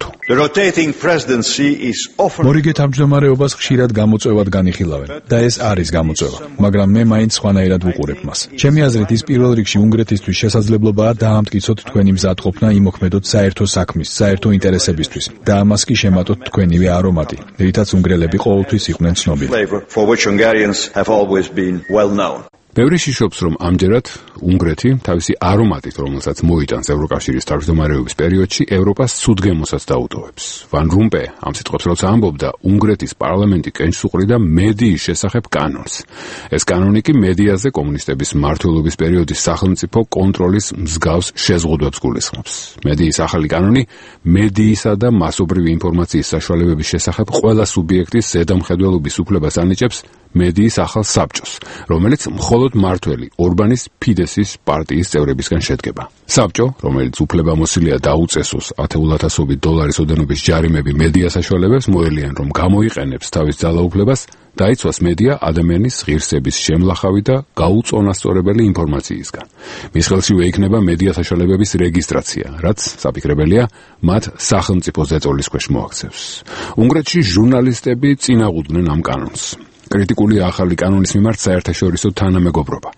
მორიგე თავმჯდომარეობას ხშირად გამოწვევად განიხილავენ და ეს არის გამოწვევა, მაგრამ მე მაინც სხვანაირად ვუყურებ მას. ჩემი აზრით, ის პირველ რიგში უნგრეთისთვის შესაძლებლობაა დაამტკიცოთ თქვენი მზადყოფნა იმოქმედოთ საერთო საქმის, საერთო ინტერესებისთვის და ამას კი შემატოთ თქვენივე არომატი, რითაც უნგრელები ყოველთვის იყვნენ ცნობილი. ბევრი შიშობს, რომ ამჯერად უნგრეთი თავისი არომატით, რომელსაც მოიტანს ევროკავშირის თავმჯდომარეობის პერიოდში, ევროპას ცუდგემოსაც დაუტოვებს. ვან რომპე ამ სიტყვებს როცა ამბობდა, უნგრეთის პარლამენტი კენჭს უყრიდა მედიის შესახებ კანონს. ეს კანონი კი მედიაზე კომუნისტების მმართველობის პერიოდის სახელმწიფო კონტროლის მსგავს შეზღუდვებს გულისხმობს. მედიის ახალი კანონი მედიისა და მასობრივი ინფორმაციის საშუალებების შესახებ ყველა სუბიექტის ზედამხედველობის უფლებას ანიჭებს მედიის ახალ საბჭოს, რომელიც მხოლოდ მმართველი ორბანის ფიდესის პარტიის წევრებისგან შედგება. საბჭო, რომელიც უფლებამოსილია დაუწესოს $10,000 ოდენობის ჯარიმები მედია საშუალებებს, მოელიან, რომ გამოიყენებს თავის ძალაუფლებას, დაიცვას მედია ადამიანის ღირსების შემლახავი და გაუწონასწორებელი ინფორმაციისგან. მის ხელშივე იქნება მედია საშუალებების რეგისტრაცია, რაც საფიქრებელია მათ სახელმწიფო ზეწოლის ქვეშ მოაქცევს. უნგრეთში ჟურნალისტები წინააღმდნენ ამ კანონს. კრიტიკული ახალი კანონის მიმართ საერთაშორისო თანამეგობრობა.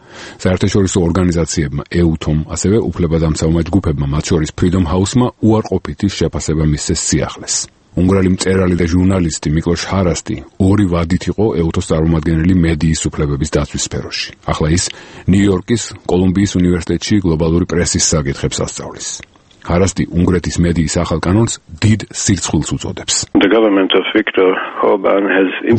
საერთაშორისო ორგანიზაციებმა EUTOM, ასევე უფლებადამცავმა ჯგუფებმა, მათ შორის Freedom House-მა უარყოფითი შეფასება მისცეს სიახლეს. უნგრელი მწერალი და ჟურნალისტი მიკლოშ ჰარასტი ორი ვადით იყო EUTOM-ის წარმომადგენელი მედიის უფლებების დაცვის სფეროში. ახლა ის ნიუ-იორკის კოლუმბიის უნივერსიტეტში გლობალური პრესის საკითხებს ასწავლის. ჰარასტი უნგრეთის მედიის ახალ კანონს დიდ სირცხვილს უწოდებს.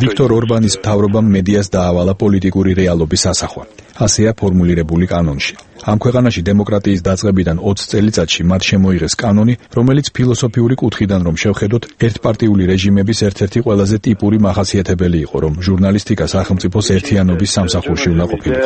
ვიქტორ ორბანის მთავრობამ მედიას დაავალა პოლიტიკური რეალობის ასახვა. ასეა ფორმულირებული კანონში. ამ ქვეყანაში დემოკრატიის დაწყებიდან 20 წელიწადში მათ შემოიღეს კანონი, რომელიც ფილოსოფიური კუთხიდან რომ შევხედოთ, ერთპარტიული რეჟიმების ერთ-ერთი ყველაზე ტიპური მახასიათებელი იყო, რომ ჟურნალისტიკა სახელმწიფოს ერთიანობის სამსახურში უნდა ყოფილიყო.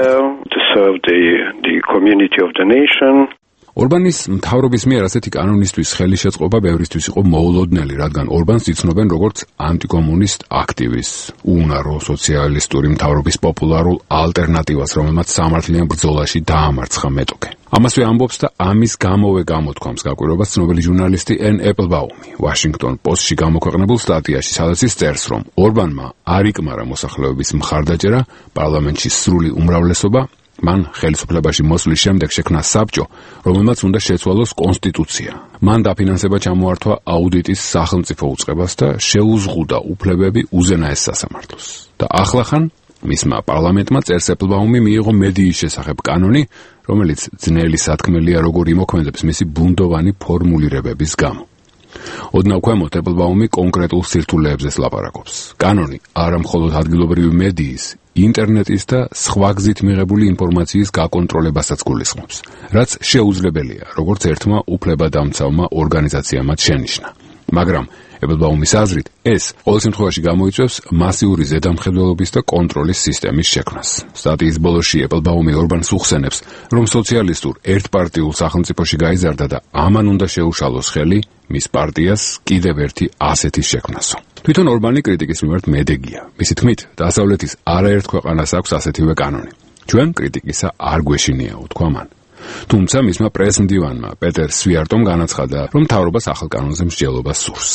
ორბანის მთავრობის მიერ ასეთი კანონისთვის ხელი შეწყობა ბევრისთვის იყო მოულოდნელი, რადგან ორბანს იცნობენ როგორც ანტიკომუნისტ აქტივისტს, უუნარო სოციალისტური მთავრობის პოპულარულ ალტერნატივას, რომელმაც სამართლიან ბრძოლაში დაამარცხა მეტოქე. ამასვე ამბობს და ამის გამოვე გამოთქვამს გაკვირვებას ცნობილი ჟურნალისტი ენ ეპლბაუმი ვაშინგტონ პოსტში გამოქვეყნებულ სტატიაში, სადაც ის წერს, რომ ორბანმა არ იკმარა მოსახლეობის მხარდაჭერა, პარლამენტში სრული უმრავლესობა, მან ხელისუფლებაში მოსვლის შემდეგ შექმნა საბჭო, რომელმაც უნდა შეცვალოს კონსტიტუცია. მან დაფინანსება ჩამოართვა აუდიტის სახელმწიფო უწყებას და შეუზღუდა უფლებები უზენაეს სასამართლოს. და ახლახან მისმა პარლამენტმა წერს ეპლბაუმი მიიღო მედიის შესახებ კანონი, რომელიც ძნელი სათქმელია როგორ იმოქმედებს მისი ბუნდოვანი ფორმულირებების გამო. ოდნავ ქვემოთ ეპლბაუმი კონკრეტულ სირთულეებზე ლაპარაკობს. კანონი არა მხოლოდ ადგილობრივი მედიის, ინტერნეტის და სხვა გზით მიღებული ინფორმაციის გაკონტროლებასაც გულისხმობს, რაც შეუძლებელია, როგორც ერთმა უფლებადამცავმა ორგანიზაციამ შენიშნა. მაგრამ ეპლბაუმის აზრით, ეს ყოველ შემთხვევაში გამოიწვევს მასიური ზედამხედველობის და კონტროლის სისტემის შექმნას. სტატიის ბოლოში ეპლბაუმი ორბანს უხსენებს, რომ სოციალისტურ ერთპარტიულ სახელმწიფოში გაიზარდა და ამან უნდა შეუშალოს ხელი მის პარტიას კიდევ ერთი ასეთის შექმნასო. თვითონ ორბანი კრიტიკის მიმართ მედეგია. მისი თქმით, დასავლეთის არაერთ ქვეყანას აქვს ასეთივე კანონი. ჩვენ კრიტიკისა არ გვეშინია, უთქვა მან. თუმცა მისმა პრესმდივანმა პეტერ სვიარტომ განაცხადა, რომ მთავრობას ახალ კანონზე მსჯელობა სურს.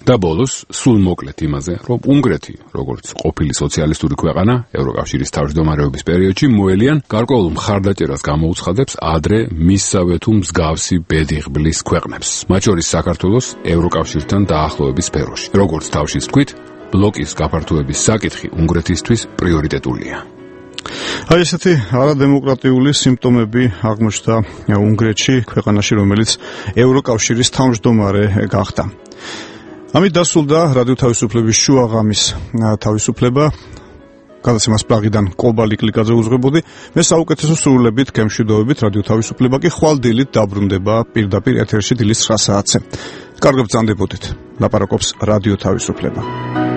და ბოლოს სულ მოკლედ იმაზე, რომ უნგრეთი, როგორც ყოფილი სოციალისტური ქვეყანა, ევროკავშირის თავმჯდომარეობის პერიოდში მოელიან გარკვეულ მხარდაჭერას გამოუცხადებს ადრე მისსავე თუ მსგავსი ბედიღბლის ქვეყნებს, მათ შორის საქართველოს ევროკავშირთან დაახლოების სფეროში. როგორც თავშიც თქვით, ბლოკის გაფართოების საკითხი უნგრეთისთვის პრიორიტეტულია. აი ესეთი არადემოკრატიული სიმპტომები აღმოჩნდა უნგრეთში, ქვეყანაში, რომელიც ევროკავშირის თავმჯდომარე გახდა. ამით დასრულდა რადიო თავისუფლების შუაღამის თავისუფლება. გადაცემას პრაღიდან კობალი კლიკაძე უძღვებოდი. მე საუკეთესო სრულებით, გემშვიდობებით, რადიო თავისუფლება კი ხვალ დილით დაბრუნდება პირდაპირ ეთერში დილის 9 საათზე. კარგად ბრძანდებოდეთ. ლაპარაკობს რადიო თავისუფლება.